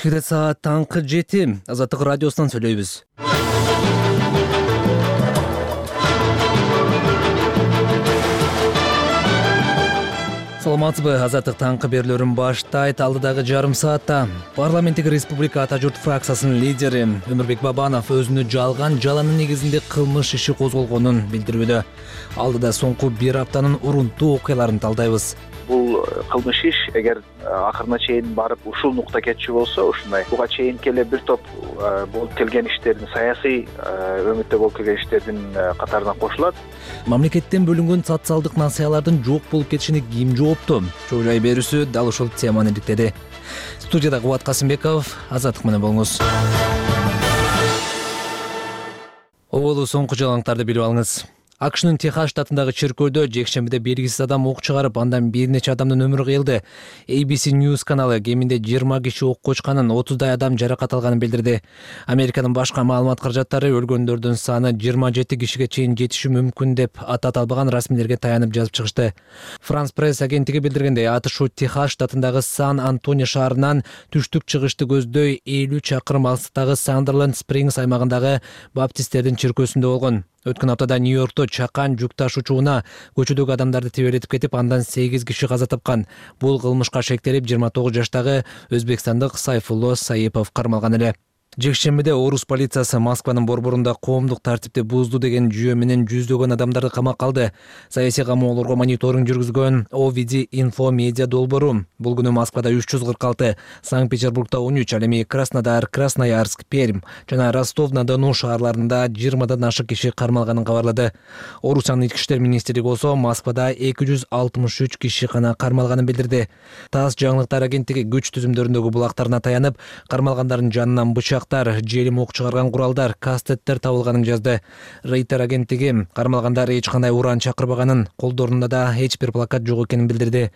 Эфирде саат таңкы 7. Азаттык радиосунан сүйлөйбүз. Саламатсызбы? Азаттык таңкы берүүлөрүн баштайт. Алдыдагы жарым саатта парламенттик республика Ата журт фракциясынын лидери Өмүрбек Бабанов өзүнө жалган жаланын негизинде кылмыш иши козголгонун билдирүүдө. Алдыда соңку бир аптанын урунттуу окуяларын талдайбыз. Бул кылмыш иш эгер акырына чейин барып ушул нукта кетчү болсо, ушундай буга чейин эле бир топ болуп келген иштердин, саясий өмүттө болуп келген иштердин катарына кошулат. Мамлекеттен бөлүнгөн социалдык насыялардын жок болуп кетишине ким жоопту? Чойлай берүүсү дал ушул теманы иликтеди. Студияда Кубат Касымбеков, Азаттык менен болуңуз. Оболу соңку жаңылыктарды билип алыңыз. АКШнын Техас штатындагы чиркөөдө жекшембиде белгисиз адам ок чыгарып, андан бир нече адамдын өмүрү кыйылды. ABC News каналы кеминде 20 киши окко учканын, 30дай адам жаракат алганын билдирди. Американын башка маалымат каражаттары өлгөндөрдүн саны 27 кишиге чейин жетиши мүмкүн деп атат албаган расмийлерге таянып жазып чыгышты. France Press агенттиги билдиргендей, атышуу Техас штатындагы Сан-Антонио шаарынан түштүк чыгышты көздөй 50 чакырым алыстагы Сандерленд Спрингс аймагындагы баптисттердин чиркөөсүндө болгон. Өткөн аптада Нью-Йоркто чакан жүк ташуучуна көчөдөгү адамдарды тебелетип кетип, андан 8 киши каза тапкан. Бул кылмышка шектелип 29 жаштагы өзбекстандык Сайфулло Саипов кармалган эле. Жекшембиде Орус полициясы Москванын борборунда коомдук тартипти бузду деген жүйө менен жүздөгөн адамдарды камакка алды. Саясий камоолорго мониторинг жүргүзгөн OVD Info Media долбоору бул күнү Москвада 346, Санкт-Петербургда 13, ал эми Краснодар, Красноярск, Пермь жана Ростов-на-Дону шаарларында 20дан ашык киши кармалганын кабарлады. Орусиянын ички иштер министрлиги болсо Москвада 263 киши гана кармалганын билдирди. ТАСС жаңылыктар агенттиги күч түзүмдөрүндөгү булактарына таянып, кармалгандардын жанынан бычак, желим ок чыгарган куралдар, кастеттер табылганын жазды. Рейтер агенттиги кармалгандар эч кандай уран чакырбаганын, колдорунда да эч бир плакат жок экенин билдирди.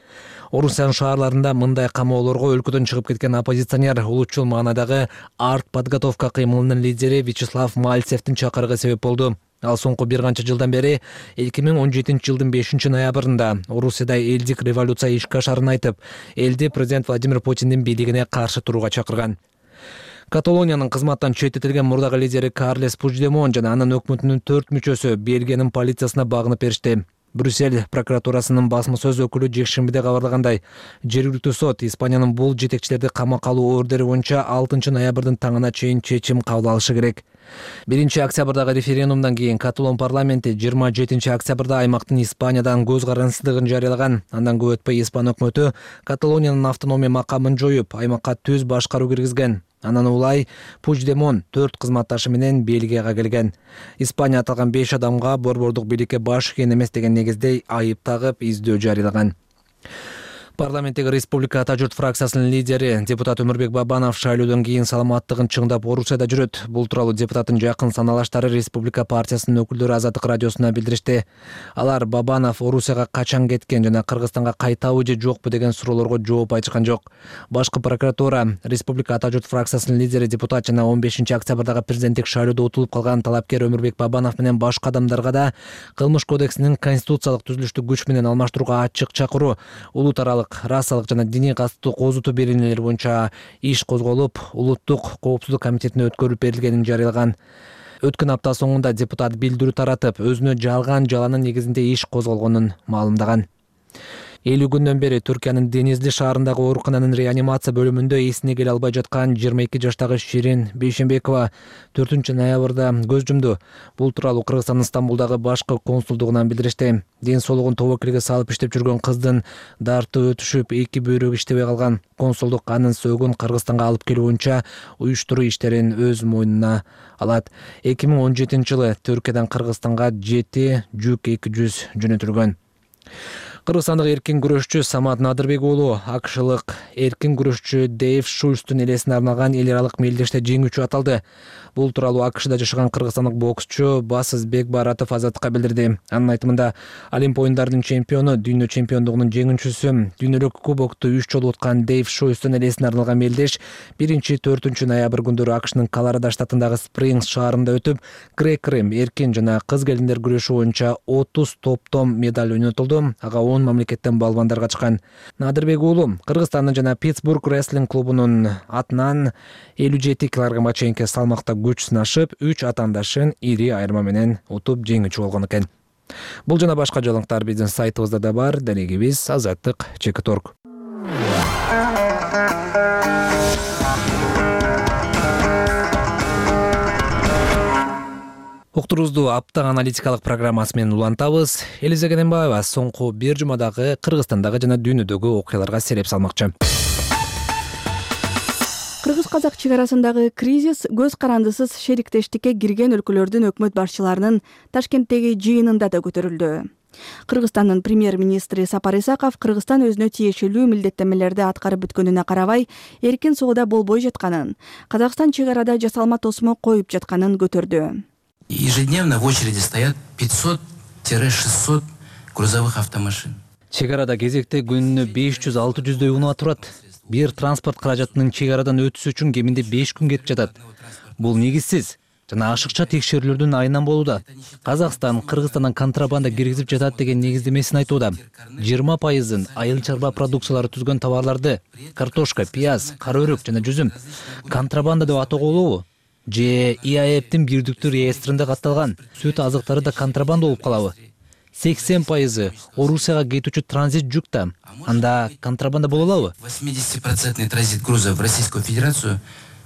Орусиянын шаарларында мындай камоолорго өлкөдөн чыгып кеткен оппозиционер, улутчул маанадагы артподготовка кыймылынын лидери Вячеслав Мальцевдин чакырыгы себеп болду. Ал соңку бир канча жылдан бери 2017 жылдын 5 ноябрында Орусияда элдик революция ишке ашарын айтып, элди президент Владимир Путиндин бийлигине каршы турууга чакырган. Каталониянын кызматтан четтетилген мурдагы лидери Карлес Пучдемон жана анын өкмөтүнүн 4 мүчөсү Бельгиянын полициясына багынып беришти. Брюссель прокуратурасынын басма сөз өкүлү жекшембиде кабарлагандай, жергиликтүү сот Испаниянын бул жетекчилерди камакка алуу ордери боюнча 6 ноябрдын таңына чейин чечим кабыл алышы керек. 1 октябрдагы референдумдан кийин Каталон парламенти 27 октябрда аймактын Испаниядан көз карансыздыгын жарыялаган. Андан көп өтпөй Испан өкмөтү Каталониянын автономия макамын жоюп, аймакка түз башкаруу киргизген. Анан улай Пучдемон 4 кызматташы менен Бельгияга келген. Испания аталган 5 адамга борбордук бийликке баш ийген эмес деген негизде айып тагып, издөө жарыялаган. Парламенттик республика Ата журт фракциясынын лидери депутат Өмүрбек Бабанов шайлоодон кийин саламаттыгын чыңдап Орусияда жүрөт. Бул тууралуу депутаттын жакын саналаштары Республика партиясынын өкүлдөрү Азаттык радиосуна билдиришти. Алар Бабанов Орусияга качан кеткен жана Кыргызстанга кайтабы же жокпу деген суроолорго жооп айтышкан жок. Башкы прокуратура Республика Ата журт фракциясынын лидери депутат жана 15 октябрдагы президенттик шайлоодо утулуп калган талапкер Өмүрбек Бабанов менен башка адамдарга да кылмыш кодексинин конституциялык түзүлүштү күч менен алмаштырууга ачык чакыруу, улут аралык, расалык жана диний катыстуу козутуу беренелери боюнча иш козголуп, улуттук коопсуздук комитетине өткөрүлүп берилгенин жарыялаган. Өткөн апта соңунда депутат билдирүү таратып, өзүнө жалган жаланын негизинде иш козголгонун маалымдаган. 50 күндөн бери Түркиянын Денизли шаарындагы оорукананын реанимация бөлүмүндө эсине келе албай жаткан 22 жаштагы Ширин Бейшембекова 4 ноябрда көз жумду. Бул тууралуу Кыргызстандын Стамбулдагы башкы консулдугунан билдиришти. Ден соолугун тобокелге салып иштеп жүргөн кыздын дарты өтүшүп, 2 бөйрөгү иштебей калган. Консулдук анын сөөгүн Кыргызстанга алып келүү боюнча уюштуруу иштерин өз мойнуна алат. 2017 жылы Түркиядан Кыргызстанга 7 жүк 200 жөнөтүлгөн. Кыргызстандык эркин күрөшчү Самат Надырбек уулу акшылык эркин күрөшчү Дэйв Шульстун элесине арналган эл аралык мелдеште жеңүүчү аталды. Бул тууралуу АКШда жашаган кыргызстандык боксчу Басыз Бекбаратов Азаттыкка билдирди. Анын айтымында, Олимп оюндарынын чемпиону, дүйнө чемпиондугунун жеңүүчүсү, дүйнөлүк кубокту 3 жолу уткан Дэйв Шульстун элесине арналган мелдеш 1-4 ноябрь күндөрү АКШнын Колорадо штатындагы Спрингс шаарында өтүп, грек-рим, эркин жана кыз келиндер күрөшү боюнча 30 топтом медаль ойнотулду. Ага 10 мамлекеттен балбандар качкан. Надырбек уулу Кыргызстандын жана Питтсбург рестлинг клубунун атынан 57 кг чейинки салмакта күч сынашып, 3 атаандашын ири айырма менен утуп жеңүүчү болгон экен. Бул жана башка жаңылыктар биздин сайтыбызда да бар. Дарегибиз Азаттык.org. Уктурубузду апта аналитикалык программасы менен улантабыз. Элиза Кененбаева соңку бир жумадагы Кыргызстандагы жана дүйнөдөгү окуяларга сереп салмакчы. Кыргыз-казак чек арасындагы кризис көз карандысыз шериктештикке кирген өлкөлөрдүн өкмөт башчыларынын Ташкенттеги жыйынында да көтөрүлдү. Кыргызстандын премьер-министри Сапар Исаков Кыргызстан өзүнө тиешелүү милдеттенмелерди аткарып бүткөнүнө карабай, эркин соода болбой жатканын, Казакстан чек арада жасалма тосмо коюп жатканын көтөрдү. Ежедневно в очереди стоят 500-600 грузовых автомашин. Чек арада кезекте күнүнө 500-600дөй унаа турат. Бир транспорт каражатынын чек арадан өтүшү үчүн кеминде 5 күн кетип жатат. Бул негизсиз жана ашыкча текшерүүлөрдүн айынан болууда. Казакстан Кыргызстандан контрабанда киргизип жатат деген негиздемесин айтууда. 20% айыл чарба продукциялары түзгөн товарларды картошка, пияз, кара өрүк жана жүзүм контрабанда деп атоого болобу? Же ИАЭПтин бирдиктүү реестринде катталган сүт азыктары да контрабанда болуп калабы? 80% Орусияга кетүүчү транзит жүк да, анда контрабанда боло алабы? 80% транзит грузов в Российскую Федерацию.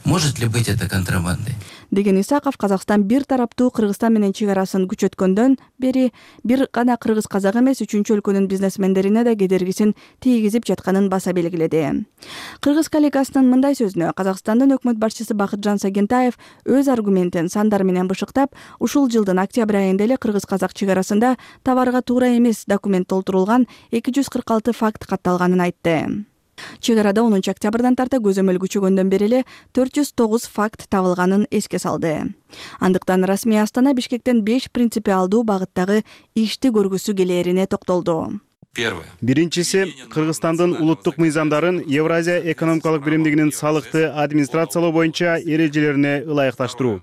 Может ли быть это контрабандой? Деген Исаков Казакстан бир тараптуу Кыргызстан менен чек арасын күчөткөндөн бери бир гана кыргыз-казак эмес, үчүнчү өлкөнүн бизнесмендерине да кедергисин тийгизип жатканын баса белгиледи. Кыргыз коллегасынын мындай сөзүнө Казакстандын өкмөт башчысы Бакытжан Сагентаев өз аргументин сандар менен бышыктап, ушул жылдын октябрь айында эле кыргыз-казак чек арасында товарга туура эмес документ толтурулган 246 факт катталганын айтты. Чек арада 10 октябрдан тарта көзөмөл күчөгөндөн бери эле 409 факт табылганын эске салды. Андыктан расмий Астана Бишкектен 5 принципиалдуу багыттагы ишти көргүсү келээрине токтолду. Биринчиси, Кыргызстандын улуттук мыйзамдарын Евразия экономикалык биримдигинин салыкты администрациялоо боюнча эрежелерине ылайыкташтыруу.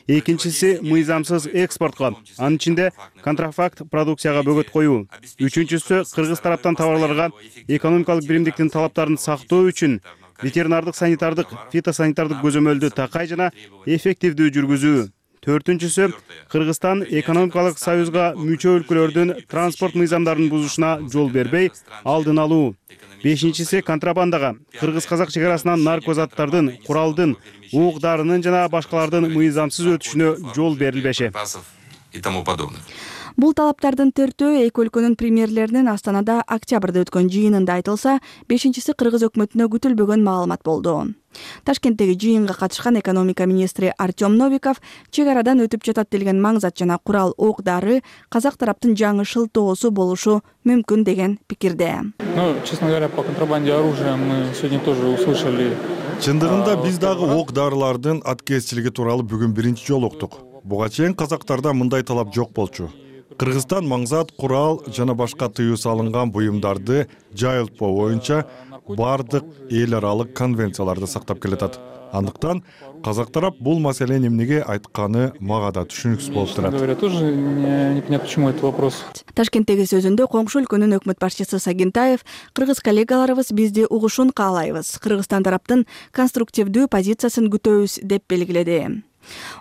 Экинчиси, мыйзамсыз экспортко, анын ичинде контрафакт продукцияга бөгөт коюу. Үчүнчүсү, кыргыз тараптан товарларга экономикалык биримдиктин талаптарын сактоо үчүн ветеринардык, санитардык, фитосанитардык көзөмөлдү такай жана эффективдүү жүргүзүү. Төртүнчүсү, Кыргызстан экономикалык союзга мүчө өлкөлөрдүн транспорт мыйзамдарын бузушуна жол бербей, алдын алуу. Бешинчиси, контрабандага, кыргыз-казак чек арасынан наркозаттардын, куралдын, уук-дарынын жана башкалардын мыйзамсыз өтүшүнө жол берилбеши. Бул талаптардын төртөө эки өлкөнүн премьерлеринин Астанада октябрда өткөн жыйынында айтылса, бешинчиси кыргыз өкмөтүнө күтүлбөгөн маалымат болду. Ташкенттеги жыйынга катышкан экономика министри Артем Новиков чек арадан өтүп жатат делген маңзат жана курал ок-дары казак тараптын жаңы шылтоосу болушу мүмкүн деген пикирде. Честно говоря, по контрабанде оружия мы сегодня тоже услышали. Чындыгында биз дагы ок-дарылардын аткезчилиги тууралуу бүгүн биринчи жолу уктук. Буга чейин казактарда мындай талап жок болчу. Кыргызстан маңзат, курал жана башка тыюу салынган буюмдарды жайылтпоо боюнча бардык эл аралык конвенцияларды сактап келатат. Андыктан казак тарап бул маселени эмнеге айтканы мага да түшүнүксүз болуп турат. Тоже непонятно, почему этот вопрос. Ташкенттеги сөзүндө коңшу өлкөнүн өкмөт башчысы Сагентаев кыргыз коллегаларыбыз бизди угушун каалайбыз, Кыргызстан тараптын конструктивдүү позициясын күтөбүз деп белгиледи.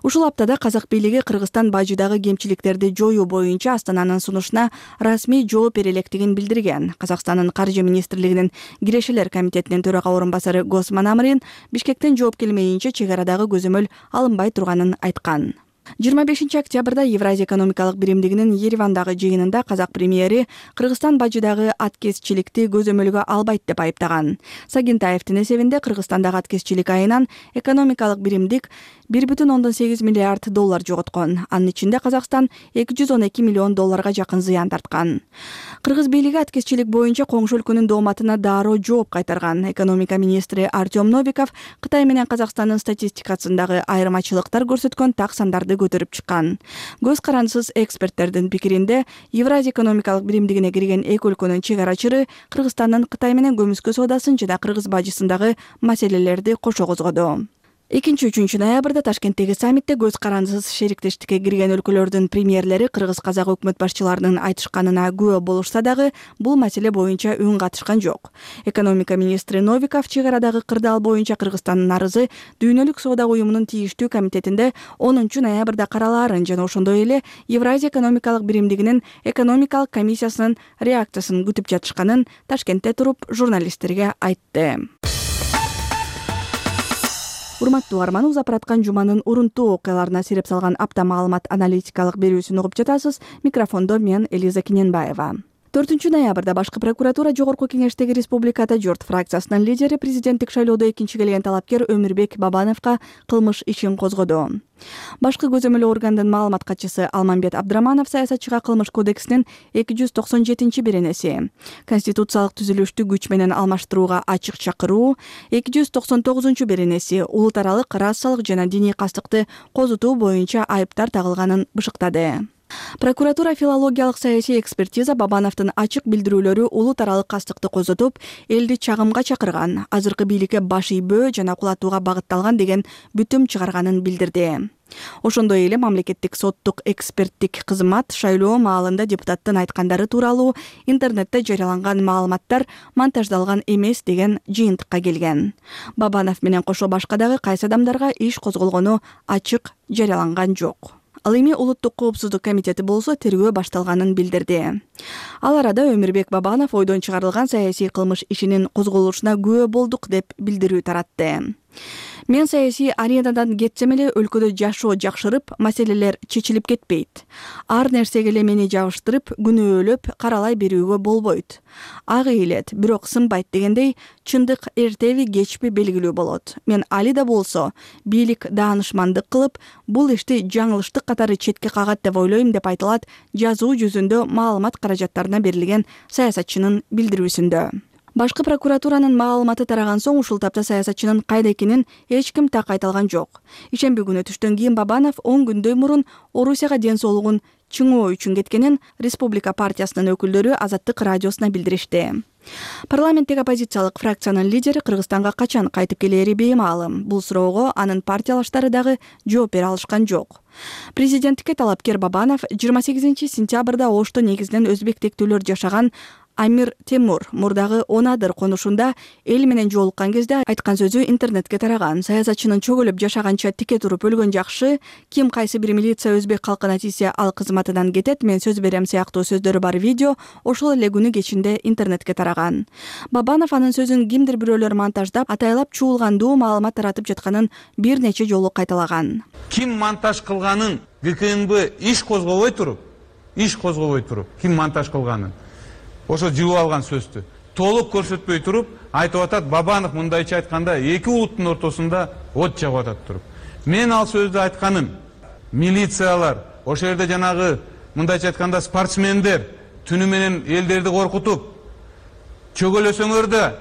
Ушул аптада казак бийлиги Кыргызстан бажыдагы кемчиликтерди жоюу боюнча Астананын сунушуна расмий жооп бере электигин билдирген. Казакстандын каржы министрлигинин кирешелер комитетинин төрага орун басары Госман Амрин Бишкектен жооп келмейинче чек арадагы көзөмөл алынбай турганын айткан. 25 октябрда Евразия экономикалык биримдигинин Еревандагы жыйынында казак премьери Кыргызстан бажыдагы аткезчиликти көзөмөлгө албайт деп айыптаган. Сагентаевдин эсебинде Кыргызстандагы аткезчилик айынан экономикалык биримдик 1,8 миллиард доллар жоготкон. Анын ичинде Казакстан 212 миллион долларга жакын зыян тарткан. Кыргыз бийлиги аткезчилик боюнча коңшу өлкөнүн дооматына дароо жооп кайтарган. Экономика министри Артем Новиков Кытай менен Казакстандын статистикасындагы айырмачылыктар көрсөткөн так сандарды көтөрүп чыккан. Көз карандысыз эксперттердин пикиринде Евразия экономикалык биримдигине кирген эки өлкөнүн чек ара чыры Кыргызстандын Кытай менен көмүскө соодасын жана кыргыз бажысындагы маселелерди кошо козгоду. 2-3 ноябрда Ташкенттеги саммитте көз карандысыз шериктештикке кирген өлкөлөрдүн премьерлери кыргыз-казак өкмөт башчыларынын айтышканына күбө болушса дагы бул маселе боюнча үн катышкан жок. Экономика министри Новиков чек арадагы кырдаал боюнча Кыргызстандын арызы Дүйнөлүк соода уюмунун тийиштүү комитетинде 10 ноябрда каралаарын жана ошондой эле Евразия экономикалык биримдигинин экономикалык комиссиясынын реакциясын күтүп жатышканын Ташкентте туруп журналисттерге айтты. Урматтуу угарман, апараткан жуманын урунтуу окуяларына сирип салган апта маалымат аналитикалык берүүсүн угуп жатасыз. Микрофондо мен Элиза Киненбаева. 4 ноябрда башкы прокуратура Жогорку кеңештеги Республикада журт фракциясынын лидери президенттик шайлоодо экинчи келген талапкер Өмүрбек Бабановго кылмыш ишин козгоду. Башкы көзөмөлөө органдын маалымат катчысы Алмамбет Абдраманов саясатчыга кылмыш кодексинин 297-беренеси, конституциялык түзүлүштү күч менен алмаштырууга ачык чакыруу, 299-беренеси, улут аралык расалык жана диний кастыкты козутуу боюнча айыптар тагылганын бышыктады. Прокуратура филологиялык саясий экспертиза Бабановдун ачык билдирүүлөрү улут аралык кастыкты козотуп, элди чагымга чакырган, азыркы бийликке баш ийбөө жана кулатууга багытталган деген бүтүм чыгарганын билдирди. Ошондой эле мамлекеттик соттук эксперттик кызмат шайлоо маалында депутаттын айткандары тууралуу интернетте жарыяланган маалыматтар монтаждалган эмес деген жыйынтыкка келген. Бабанов менен кошо башка дагы кайсы адамдарга иш козголгону ачык жарыяланган жок. Ал эми Улуттук коопсуздук комитети болсо тергөө башталганын билдирди. Ал арада Өмүрбек Бабанов ойдон чыгарылган саясий кылмыш ишинин козголушуна күбө болдук деп билдирүү таратты. Мен саясий аренадан кетсем эле өлкөдө жашоо жакшырып, маселелер чечилип кетпейт. Ар нерсеге эле мени жабыштырып, күнөөлөп каралай берүүгө болбойт. Ак ыйлет, бирок сынбайт дегендей, чындык эртеби кечпи белгилүү болот. Мен али да болсо, бийлик даанышмандык кылып, бул ишти жаңылыштык катары четке кагат деп ойлойм деп айтылат жазуу жүзүндө маалымат каражаттарына берилген саясатчынын билдирүүсүндө. Башкы прокуратуранын маалыматы тараган соң ушул тапта саясатчынын кайда экенин эч ким так айта алган жок. Ишемби күнү түштөн кийин Бабанов 10 күндөй мурун Орусияга ден соолугун чыңоо үчүн кеткенин Республика партиясынын өкүлдөрү Азаттык радиосуна билдиришти. Парламенттеги оппозициялык фракциянын лидери Кыргызстанга качан кайтып келери беймаалым. Бул суроого анын партиялаштары дагы жооп бере алышкан жок. Президенттикке талапкер Бабанов 28-сентябрда Ошто негизинен өзбек тектүүлөр жашаган Амир Темур мурдагы Онадыр конушунда эл менен жолуккан кезде айткан сөзү интернетке тараган. Саясатчынын чөгөлөп жашаганча тике туруп өлгөн жакшы, ким кайсы бир милиция өзбек калкына тийсе ал кызматынан кетет, мен сөз берем сыяктуу сөздөрү бар видео ошол эле күнү кечинде интернетке тараган. Бабанов анын сөзүн кимдир бирөөлөр монтаждап, атайлап чуулгандуу маалымат таратып жатканын бир нече жолу кайталаган. Ким монтаж кылганын ГКНБ иш козгобой туруп, ким монтаж кылганын ошо жыбып алган сөздү толук көрсөтпөй туруп айтып атат. Бабанов мындайча айтканда эки улуттун ортосунда от жагып атат туруп. Мен ал сөздү айтканым милициялар, ошол жерде жанагы мындайча айтканда спортсмендер түнү менен элдерди коркутуп, чөгөлөсөңөр да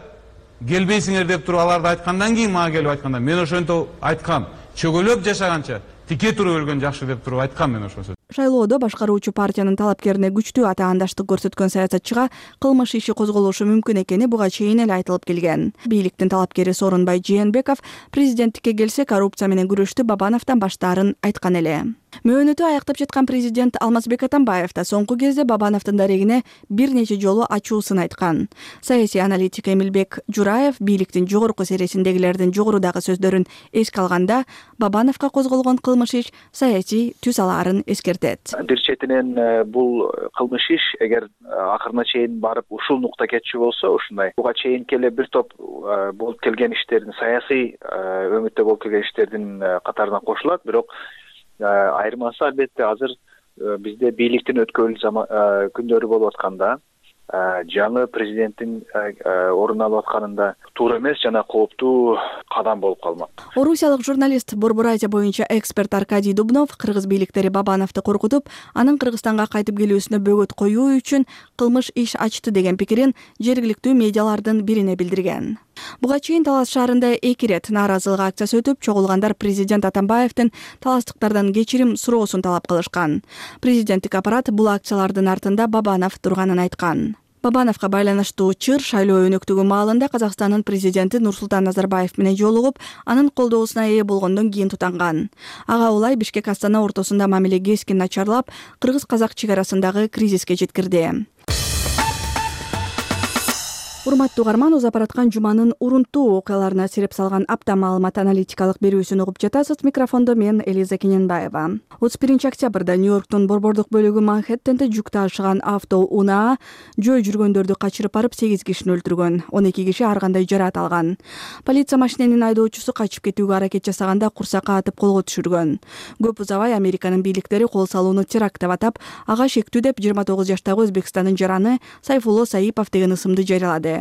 келбейсиңер деп туруп аларды айткандан кийин мага келип айтканда мен ошентип айткам. Чөгөлөп жашаганча тике туруп өлгөн жакшы деп туруп айткам мен ошол сөздү. Шайлоодо башкаруучу партиянын талапкерине күчтүү атаандаштык көрсөткөн саясатчыга кылмыш иши козголушу мүмкүн экени буга чейин эле айтылып келген. Бийликтин талапкери Сооронбай Жээнбеков президенттикке келсе коррупция менен күрөштү Бабановдон баштаарын айткан эле. Мөөнөтү аяктап жаткан президент Алмазбек Атамбаев да соңку кезде Бабановдун дарегине бир нече жолу ачуусын айткан. Саясий аналитик Эмилбек Жураев бийликтин жогорку сересиндегилердин жогорудагы сөздөрүн эске алганда, Бабановго козголгон кылмыш иш саясий түз алаарын эскертет. Бир четинен бул кылмыш иш эгер акырына чейин барып ушул нукта кетчү болсо, ушундай буга чейин келе бир топ болуп келген иштердин, саясий өмүттө болуп келген иштердин катарына кошулат. Бирок айырмасы албетте азыр бизде бийликтин өткөрүл күндөрү болуп атканда жаңы президенттин орун алып атканында туура эмес жана кооптуу кадам болуп калмак. Орусиялык журналист Борбор Азия боюнча эксперт Аркадий Дубнов кыргыз бийликтери Бабановду коркутуп, анын Кыргызстанга кайтып келүүсүнө бөгөт коюу үчүн кылмыш иш ачты деген пикирин жергиликтүү медиалардын бирине билдирген. Буга чейин Талас шаарында 2 рет нааразылык акциясы өтүп, чогулгандар президент Атамбаевдин таластыктардан кечирим суроосун талап кылышкан. Президенттик аппарат бул акциялардын артында Бабанов турганын айткан. Бабановго байланыштуу чыр шайлоо өнөктүгү маалында Казакстандын президенти Нурсултан Назарбаев менен жолугуп, анын колдоосуна ээ болгондон кийин тутанган. Ага улай Бишкек Астана ортосунда мамиле кескин начарлап, кыргыз-казак чек арасындагы кризиске жеткирди. Урматтуу угарман, уз апараткан жуманын урунттуу окуяларына сирип салган апта маалымат аналитикалык берүүсүн угуп жатасыз. Микрофондо мен Элиза Кененбаева. 31 октябрда Нью-Йорктун борбордук бөлүгү Манхэттенде жүк ташыган авто унаа жөө жүргөндөрдү качырып барып 8 кишини өлтүргөн. 12 киши ар кандай жараат алган. Полиция машиненин айдоочусу качып кетүүгө аракет жасаганда курсакка атып колго түшүргөн. Көп узабай Американын бийликтери кол салууну теракт деп атап, ага шектүү деп 29 жаштагы Өзбекстандын жараны Сайфулло Саипов деген ысымды жарыялады.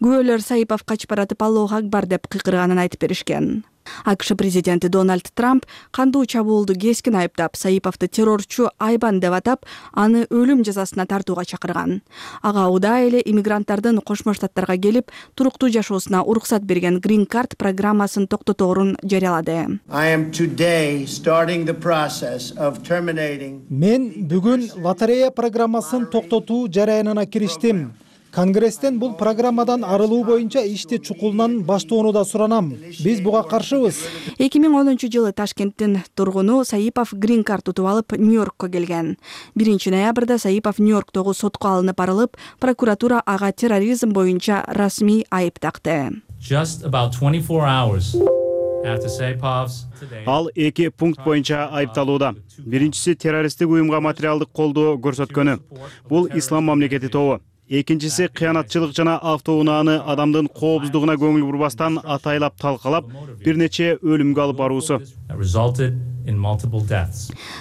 Күбөлөр Саипов качып баратып Аллаху акбар деп кыйкырганын айтып беришкен. АКШ президенти Дональд Трамп кандуу чабуулду кескин айыптап, Саиповду террорчу айбан деп атап, аны өлүм жазасына тартууга чакырган. Ага удай эле иммигранттардын Кошмо Штаттарга келип, туруктуу жашоосуна уруксат берген Green Card программасын токтоторун жарыялады. Мен бүгүн лотерея программасын токтотуу жараянына кириштим. Конгресстен бул программадан арылуу боюнча ишти чукулунан баштоону да суранам. Биз буга каршыбыз. 2010-жылы Ташкенттин тургуну Саипов Green Card утуп алып Нью-Йоркко келген. 1-ноябрда Саипов Нью-Йорктогу сотко алынып барылып, прокуратура ага терроризм боюнча расмий айып такты. Ал 2 пункт боюнча айыпталууда. Биринчиси террористтик уюмга материалдык колдоо көрсөткөнү. Бул ислам мамлекети тобу. Экинчиси кыянатчылык жана автоунааны адамдын коопсуздугуна көңүл бурбастан атайлап талкалап, бир нече өлүмгө алып баруусу.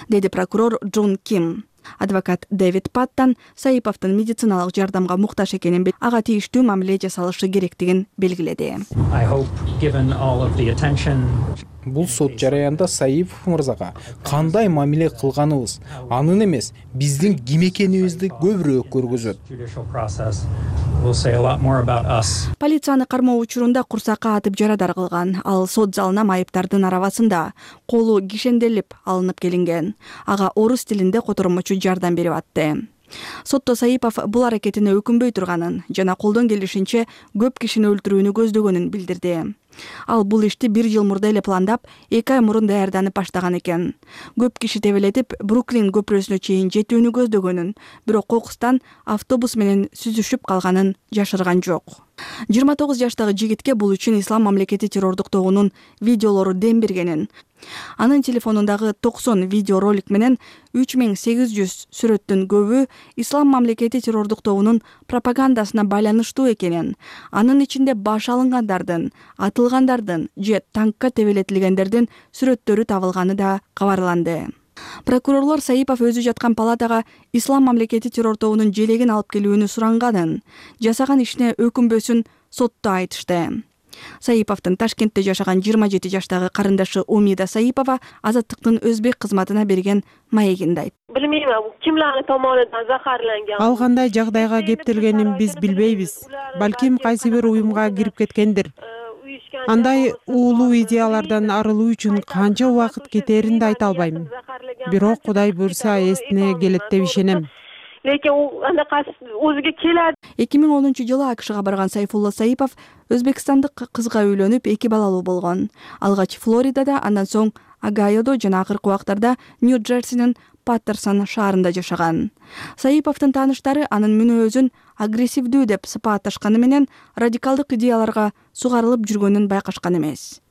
Деди прокурор Джун Ким. Адвокат Дэвид Паттан Саиповдун медициналык жардамга муктаж экенин, ага тийиштүү мамиле жасалышы керектигин белгиледи. Бул сот жараянда Саипов мырзага кандай мамиле кылганыбыз, анын эмес, биздин ким экенибизди көбүрөөк көргөзөт. Полицияны кармоо учурунда курсакка атып жарадар кылган. Ал сот залына майыптардын арабасында колу кишенделип алынып келинген. Ага орус тилинде котормочу жардам берип атты. Сотто Саипов бул аракетине өкүнбөй турганын жана колдон келишинче көп кишини өлтүрүүнү көздөгөнүн билдирди. Ал бул ишти 1 жыл мурда эле пландап, 2 ай мурун даярданып баштаган экен. Көп киши тебелетип, Бруклин көпүрөсүнө чейин жетүүнү көздөгөнүн, бирок кокустан автобус менен сүзүшүп калганын жашырган жок. 29 жаштагы жигитке бул үчүн Ислам мамлекети террордук тобунун видеолору дем бергенин, анын телефонундагы 90 видеоролик менен 3800 сүрөттүн көбү Ислам мамлекети террордук тобунун пропагандасына байланыштуу экенин, анын ичинде баш алынгандардын, атылгандардын же танкка тебелетилгендердин сүрөттөрү табылганы да кабарланды. Прокурорлор Саипов өзү жаткан палатага Ислам мамлекети террор тобунун желегин алып келүүнү суранганын, жасаган ишине өкүнбөсүн сотто айтышты. Саиповдун Ташкентте жашаган 27 жаштагы карындашы Умида Саипова Азаттыктын өзбек кызматына берген маегинде айтты. Билмейм, кимлердин tomonidan zaharlangan. Ал кандай жагдайга кептелгенин биз билбейбиз. Балким кайсы бир уюмга кирип кеткендир. Андай уулуу идеялардан арылуу үчүн канча убакыт кетерин да айта албайм. Бирок Кудай буйрса эсине келет деп ишенем. Lekin u anaqa o'ziga keladi. 2010-жылы АКШга барган Сайфулло Саипов өзбекстандык кызга үйлөнүп 2 балалуу болгон. Алгач Флоридада, андан соң Огайодо жана акыркы убактарда Нью-Джерсинин Паттерсон шаарында жашаган. Саиповдун тааныштары анын мүнөзүн агрессивдүү деп сыпатташканы менен радикалдык идеяларга сугарылып жүргөнүн байкашкан эмес.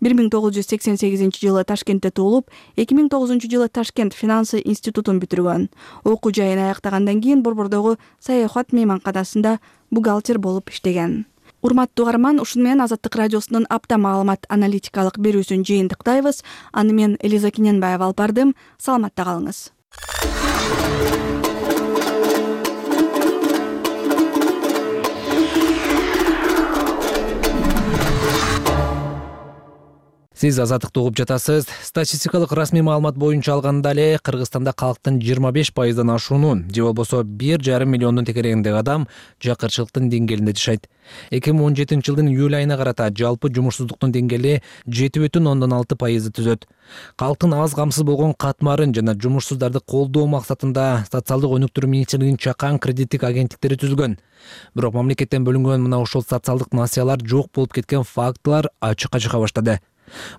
1988-жылы Ташкентте туулуп, 2009-жылы Ташкент финансы институтун бүтүргөн. Окуу жайын аяктагандан кийин Борбордогу саякат мейманканасында бухгалтер болуп иштеген. Урматтуу угарман, ушуну менен Азаттык радиосунун апта маалымат аналитикалык берүүсүн жыйынтыктайбыз. Аны мен Элиза Кененбаева алып бардым. Саламатта калыңыз. Сиз Азаттыкты угуп жатасыз. Статистикалык расмий маалымат боюнча алганда эле Кыргызстанда калктын 25%дан ашуунун, же болбосо 1,5 миллиондун текерегиндеги адам жакырчылыктын деңгээлинде жашайт. 2017 жылдын июль айына карата жалпы жумушсуздуктун деңгээли 7,6% түзөт. Калктын аз камсыз болгон катмарын жана жумушсуздарды колдоо максатында социалдык өнүктүрүү министрлигинин чакан кредиттик агенттиктери түзүлгөн. Бирок мамлекеттен бөлүнгөн мына ушул социалдык насыялар жок болуп кеткен фактылар ачыкка чыга баштады.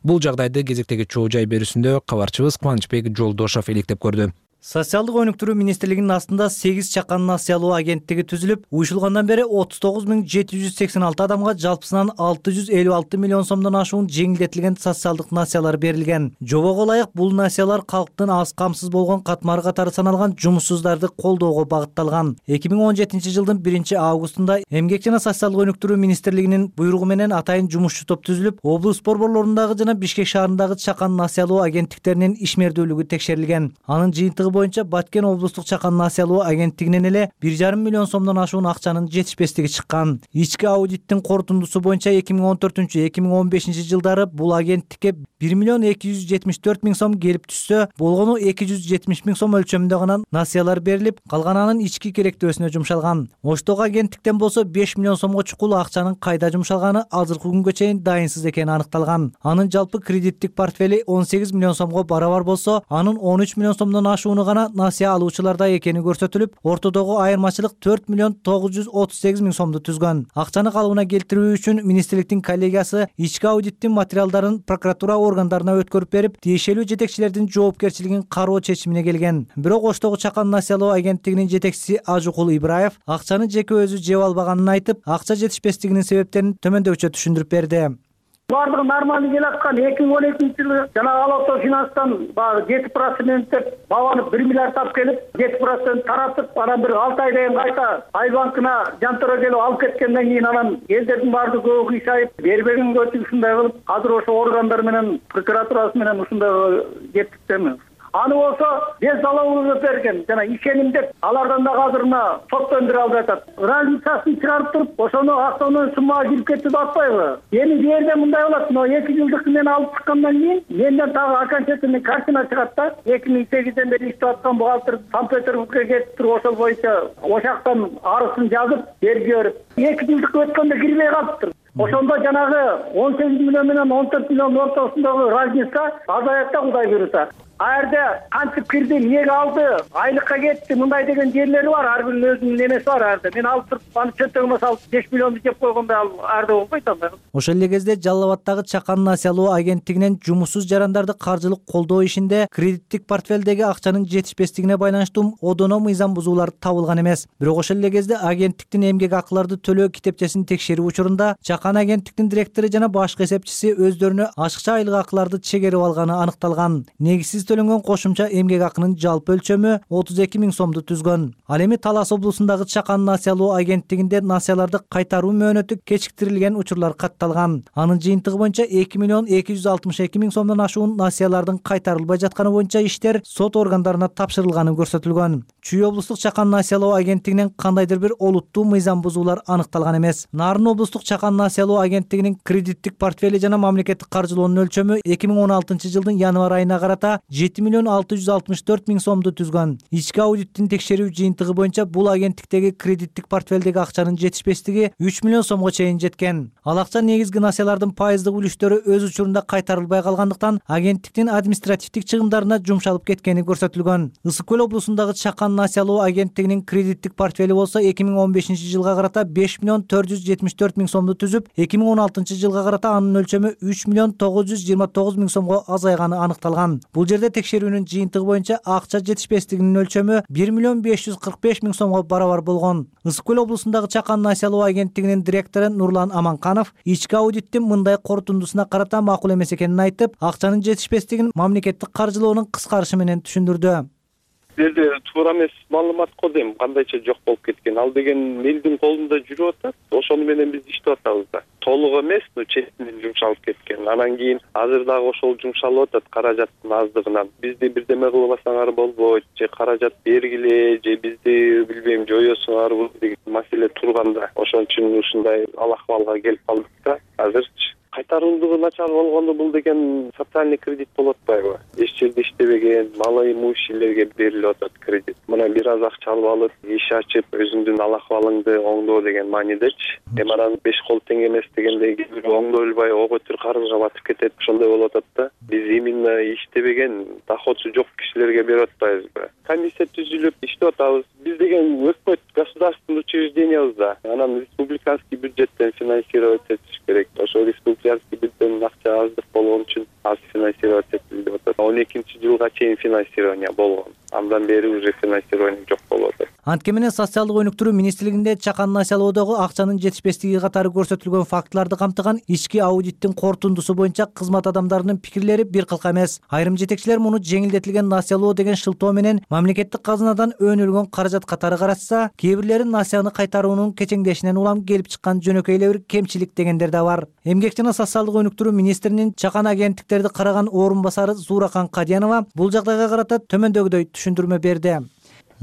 Бул жагдайды кезектеги чоо жай берүүсүндө кабарчыбыз Кубанычбек Жолдошов иликтеп көрдү. Социалдык өнүктүрүү министрлигинин астында 8 чакан насыялоо агенттиги түзүлүп, уюшулгандан бери 39,786 адамга жалпысынан 656 миллион сомдон ашуун жеңилдетилген социалдык насыялар берилген. Жобого ылайык бул насыялар калктын аз камсыз болгон катмары катары саналган жумушсуздарды колдоого багытталган. 2017 жылдын 1-августунда Эмгек жана социалдык өнүктүрүү министрлигинин буйругу менен атайын жумушчу топ түзүлүп, облус борборлорундагы жана Бишкек шаарындагы чакан насыялоо агенттиктеринин ишмердүүлүгү текшерилген. Анын жыйынтыгы боюнча Баткен облустук чакан насыялоо агенттигинен эле 1,5 миллион сомдон ашуун акчанын жетишпестиги чыккан. Ички аудиттин корутундусу боюнча 2014-2015 жылдары бул агенттикке 1 миллион 274 миң сом келип түшсө, болгону 270 миң сом өлчөмүндө гана насыялар берилип, калганынын ички керектөөсүнө жумшалган. Оштогу агенттиктен болсо 5 миллион сомго чукул акчанын кайда жумшалганы азыркы күнгө чейин дайынсыз экени аныкталган. Анын жалпы кредиттик портфели 18 миллион сомго барабар болсо, анын 13 миллион сомдон ашууну гана насыя алуучуларда экени көрсөтүлүп, ортодогу айырмачылык 4 миллион 938 миң сомду түзгөн. Акчаны калыбына келтирүү үчүн министрликтин коллегиясы ички аудиттин материалдарын прокуратура органдарына өткөрүп берип, тиешелүү жетекчилердин жоопкерчилигин кароо чечимине келген. Бирок Оштогу чакан насыялоо агенттигинин жетекчиси Ажукул Ибраев акчаны жеке өзү жеп албаганын айтып, акча жетишпестигинин себептерин төмөндөкчө түшүндүрүп берди. Бардыгы нормалдуу келаткан 2012 жылы жана Алото финанстан 7% деп бабаны 1 миллиард тап келип, 7% таратып, анан бир 6 айдан кийин кайта Ай банкына жантара келип алып кеткенден кийин анан элдердин баардыгы көбү кыйшайып, бербегенге ушундай кылып, азыр ошо органдар менен прокуратурасы менен ушундай кеттиктенбиз. Аны болсо без залога берген жана ишеним деп алардан да азыр мына соттон алып жатат. Разницасын чыгарып туруп, ошону автоунаа суммага кирип кетти деп атпайбы? Эми бул жерде мындай болот, но 2 жылдык мен алып чыккандан кийин менден дагы окончательный картина чыгат да. 2008ден бери иштеп аткан бухгалтер Санкт-Петербургга кетип туруп, ошол боюнча ошактан арызын жазып, берип жиберип, 2 жылдык өткөндө кирбей калыптыр. Ошондо жанагы 18 миллион менен 14 миллион ортосундагы разница азаят да, Кудай буйруса. Аерде кантип кирди, эмнеге алды, айлыкка кетти, мындай деген жерлери бар, ар биринин өзүнүн немеси бар аерде. Мен алып туруп, аны чөнтөгүмө салып 5 миллионду жеп койгондой аерде болбойт анда. Ошол эле кезде Жалал Абадтагы чакан насыялоо агенттигинен жумушсуз жарандарды каржылык колдоо ишинде кредиттик портфелдеги акчанын жетишпестигине байланыштуу одоно мыйзам бузуулар табылган эмес. Бирок ошол эле кезде агенттиктин эмгек акыларды төлөө китепчесин текшерүү учурунда чакан агенттиктин директору жана башкы эсепчиси өздөрүнө ашыкча айлык акыларды чегерип алганы аныкталган. Негизсиз төлөнгөн кошумча эмгек акынын жалпы өлчөмү 32 миң сомду түзгөн. Ал эми Талас облусундагы чакан насыялоо агенттигинде насыяларды кайтаруу мөөнөтү кечиктирилген учурлар катталган. Анын жыйынтыгы боюнча 2 миллион 262 миң сомдон ашуун насыялардын кайтарылбай жатканы боюнча иштер сот органдарына тапшырылганы көрсөтүлгөн. Чүй облустук чакан насыялоо агенттигинен кандайдыр бир олуттуу мыйзам бузуулар аныкталган эмес. Нарын облустук чакан насыялоо агенттигинин кредиттик портфели жана мамлекеттик каржылоонун өлчөмү 2016 жылдын январь айына карата 7 миллион 664 миң сомду түзгөн. Ички аудиттин текшерүү жыйынтыгы боюнча бул агенттиктеги кредиттик портфелдеги акчанын жетишпестиги 3 миллион сомго чейин жеткен. Ал акча негизги насыялардын пайыздык үлүштөрү өз учурунда кайтарылбай калгандыктан агенттиктин административдик чыгымдарына жумшалып кеткени көрсөтүлгөн. Ысык көл облусундагы чакан насыялоо агенттигинин кредиттик портфели болсо 2015 жылга карата 5 миллион 474 миң сомду түзүп, 2016 жылга карата анын өлчөмү 3 миллион 929 миң сомго азайганы аныкталган. Бул жерде текшерүүнүн жыйынтыгы боюнча акча жетишпестигинин өлчөмү 1 миллион 545 миң сомго барабар болгон. Ысык көл облусундагы чакан насыялоо агенттигинин директору Нурлан Аманканов ички аудиттин мындай корутундусуна карата макул эмес экенин айтып, акчанын жетишпестигин мамлекеттик каржылоонун кыскарышы менен түшүндүрдү. Жерде туура эмес маалымат го дейм, кандайча жок болуп кеткен. Ал деген элдин колунда жүрүп атат. Ошону менен биз иштеп атабыз да. Толук эмес, четинен жумшалып кеткен. Анан кийин азыр дагы ошол жумшалып атат каражаттын аздыгынан. Бизди бирдеме кылбасаңар болбойт, же каражат бергиле, же бизди билбейм жоёсуңарбы деген маселе турганда. Ошон үчүн ушундай ал акыбалга келип калдык да. Азырчы Кайтарымдуулугу начар болгондо бул деген социальный кредит болуп атпайбы? Эч жерде иштебеген малоимущийлерге берилип атат кредит. Мына бир аз акча алып алып, иш ачып, өзүңдүн ал акыбалыңды оңдоо деген маанидечи. Анан 5 кол тең эмес дегендей кээ бирөө оңдой албай ого бүтүр карызга батып кетет. Ошондой болуп атат да. Биз именно иштебеген, доходу жок кишилерге берип атпайбызбы? Комиссия түзүлүп иштеп атабыз. Биз деген өкмөт государственный учреждениябыз да. Анан республиканский бюджеттен финансировать этиш керек. Ошо республиканский бюджеттен акча аздык болгон үчүн аз финансировать этилип атат. 12-жылга чейин финансирование болгон. Андан бери уже финансирование жок болуп атат. Антке менен социалдык өнүктүрүү министрлигинде чакан насыялоодогу акчанын жетишпестиги катары көрсөтүлгөн фактыларды камтыган ички аудиттин корутундусу боюнча кызмат адамдарынын пикирлери бир кылка эмес. Айрым жетекчилер муну жеңилдетилген насыялоо деген шылтоо менен мамлекеттик казынадан өнүлгөн каражат катары карашса, кээ бирлери насыяны кайтаруунун кечеңдешинен улам келип чыккан жөнөкөй эле бир кемчилик дегендер да бар. Эмгек жана социалдык өнүктүрүү министринин чакан агенттиктерди караган орун басары Зууракан Кадиянова бул жагдайга карата төмөндөгүдөй түшүндүрмө берди.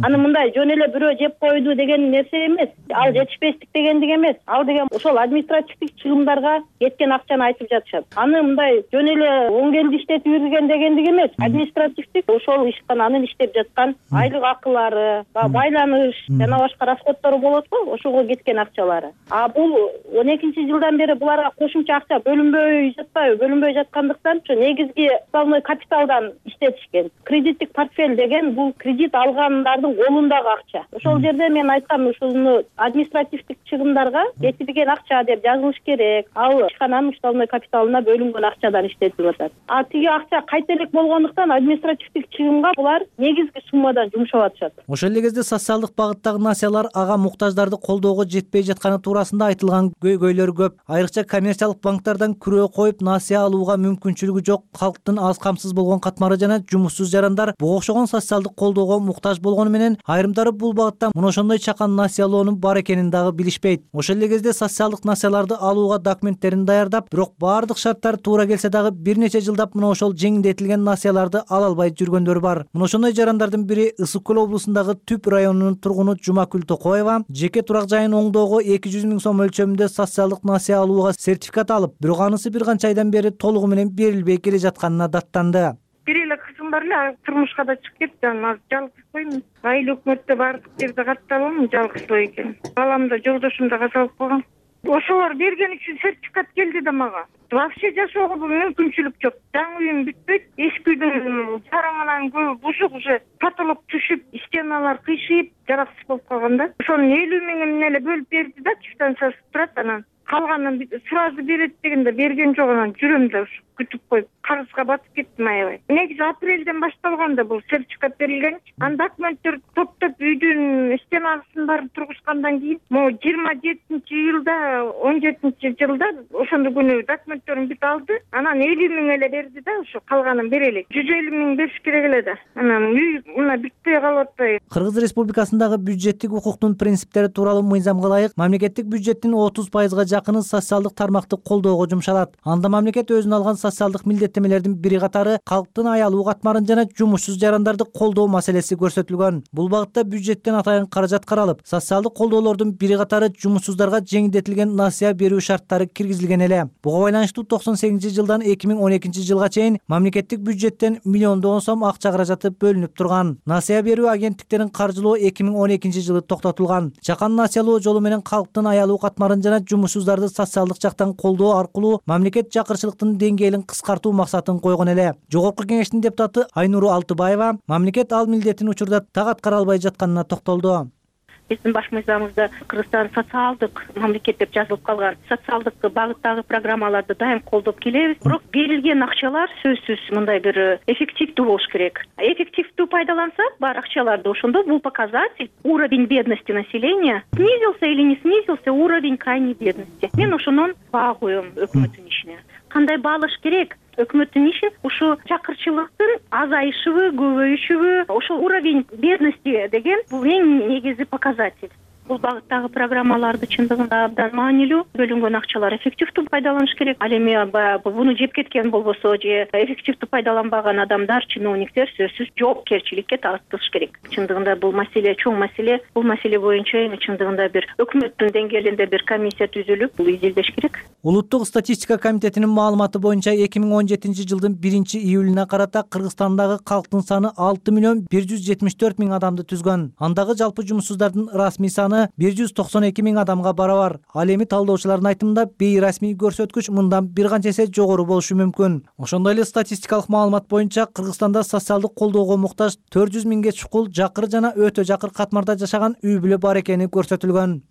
Аны мындай жөн эле бирөө жеп койду деген нерсе эмес. Ал жетишпестик дегендик эмес. Ал деген ошол административдик чыгымдарга кеткен акчаны айтып жатышат. Аны мындай жөн эле оң келди иштетип жүргөн дегендик эмес. Административдик ошол ишкан анын иштеп жаткан айлык акылары, байланыш жана башка расходтору болот го, ошого кеткен акчалары. А бул 12-жылдан бери буларга кошумча акча бөлүнбөй жатпайбы? Бөлүнбөй жаткандыктан ошо негизги уставной капиталдан иштетишкен. Кредиттик портфель деген бул кредит алгандардын колундагы акча. Ошол жерде мен айткам, ушуну административдик чыгымдарга кетирген акча деп жазылыш керек. Ал ишкананын уставной капиталына бөлүнгөн акчадан иштетилип атат. А тиги акча кайта элек болгондуктан административдик чыгымга булар негизги суммадан жумшап атышат. Ошол эле кезде социалдык багыттагы насыялар ага муктаждарды колдоого жетпей жатканы туурасында айтылган көйгөйлөр көп. Айрыкча коммерциялык банктардан күрөө коюп насыя алууга мүмкүнчүлүгү жок калктын аз камсыз болгон катмары жана жумуссуз жарандар буга окшогон социалдык колдоого муктаж болгону менен айрымдары бул багытта мына ошондой чакан насыялоонун бар экенин дагы билишпейт. Ошол эле кезде социалдык насыяларды алууга документтерин даярдап, бирок баардык шарттар туура келсе дагы бир нече жылдап мына ошол жеңилдетилген насыяларды ала албай жүргөндөр бар. Мына ошондой жарандардын бири Ысык көл облусундагы Түп районунун тургуну Жумакүл Токоева жеке турак жайын оңдоого 200 000 сом өлчөмүндө социалдык насыя алууга сертификат алып, бирок анысы бир канча айдан бери толугу менен берилбей келе жатканына даттанды. Бир эле кызым бар эле, турмушка да чыгып кетти. Анан жалгызбоймун. Айыл өкмөттө баардык жерде катталам, жалгызбой экен. Балам да жолдошум да казалып калган. Ошолор берген үчүн сертификат келди да мага. Вообще жашоого мүмкүнчүлүк жок. Жаңы үйүм бүтпөйт. Эски үйдүн жараңынан көбү бушук уже потолок түшүп, стеналар кыйшыйып, жараксыз болуп калган да. Ошону 50 000 эле бөлүп берди да, квитанциясы турат. Анан калганын сразу берет дегенде берген жок. Анан жүрөм да күтүп коюп, карызга батып кеттим аябай. Негизи апрелден башталган да бул сертификат берилген. Ан документтер топтоп үйдүн стенасын баарын тургузгандан кийин, могу 27-жылда, 17-жылда ошондо күнү документтерин бүт алды. Анан 50 000 эле берди да, ошо калганын берелик. 150 000 бериш керек эле да. Анан үй мына бүтпөй калып атпайбы? Кыргыз Республикасындагы бюджеттик укуктун принциптери тууралуу мыйзамга ылайык мамлекеттик бюджеттин 30%га жакыны социалдык тармакты колдоого жумшалат. Анда мамлекет өзүнө алган социалдык милдеттемелердин бири катары калктын аялуу катмарын жана жумушсуз жарандарды колдоо маселеси көрсөтүлгөн. Бул багытта бюджеттен атайын каражат каралып, социалдык колдоолордун бири катары жумушсуздарга жеңилдетилген насыя берүү шарттары киргизилген эле. Буга байланыштуу 98-жылдан 2012-жылга чейин мамлекеттик бюджеттен миллиондогон сом акча каражаты бөлүнүп турган. Насыя берүү агенттиктерин каржылоо 2012-жылы токтотулган. Чакан насыялоо жолу менен калктын аялуу катмарын жана жумушсуздарды социалдык жактан колдоо аркылуу мамлекет жакырчылыктын деңгээлин кыскартуу максатын койгон эле. Жогорку кеңештин депутаты Айнуру Алтыбаева мамлекет ал милдетин учурда так аткара албай жатканына токтолду. Биздин баш мыйзамыбызда Кыргызстан социалдык мамлекет деп жазылып калган. Социалдык багыттагы программаларды дайым колдоп келебиз. Бирок берилген акчалар сөзсүз мындай бир эффективдүү болуш керек. Эффективдүү пайдалансак, бар акчаларды ошондо бул показатель уровень бедности населения снизился или не снизился уровень крайней бедности. Мен ошонун баа коем өкмөттүн ишине. Кандай баалаш керек? Өкмөттүн иши ушу жакырчылыктын азайышыбы, көбөйүшүбү, ошол уровень бедности деген бул эң негизги показатель. Бул багыттагы программаларды чындыгында абдан маанилүү, бөлүнгөн акчалар эффективдүү пайдаланыш керек. Ал эми баягы буну жеп кеткен болбосо же эффективдүү пайдаланбаган адамдар, чиновниктер сөзсүз жоопкерчиликке тартылыш керек. Чындыгында бул маселе чоң маселе. Бул маселе боюнча эми чындыгында бир өкмөттүн деңгээлинде бир комиссия түзүлүп, бул изилдеш керек. Улуттук статистика комитетинин маалыматы боюнча 2017 жылдын 1-июлуна карата Кыргызстандагы калктын саны 6.174.000 адамды түзгөн. Андагы жалпы жумушсуздардын расмий саны 192.000 адамга барабар. Ал эми талдоочулардын айтымында бейрасмий көрсөткүч мындан бир канча эсе жогору болушу мүмкүн. Ошондой эле статистикалык маалымат боюнча Кыргызстанда социалдык колдоого муктаж 400.000ге чукул жакыр жана өтө жакыр катмарда жашаган үй бүлө бар экени көрсөтүлгөн.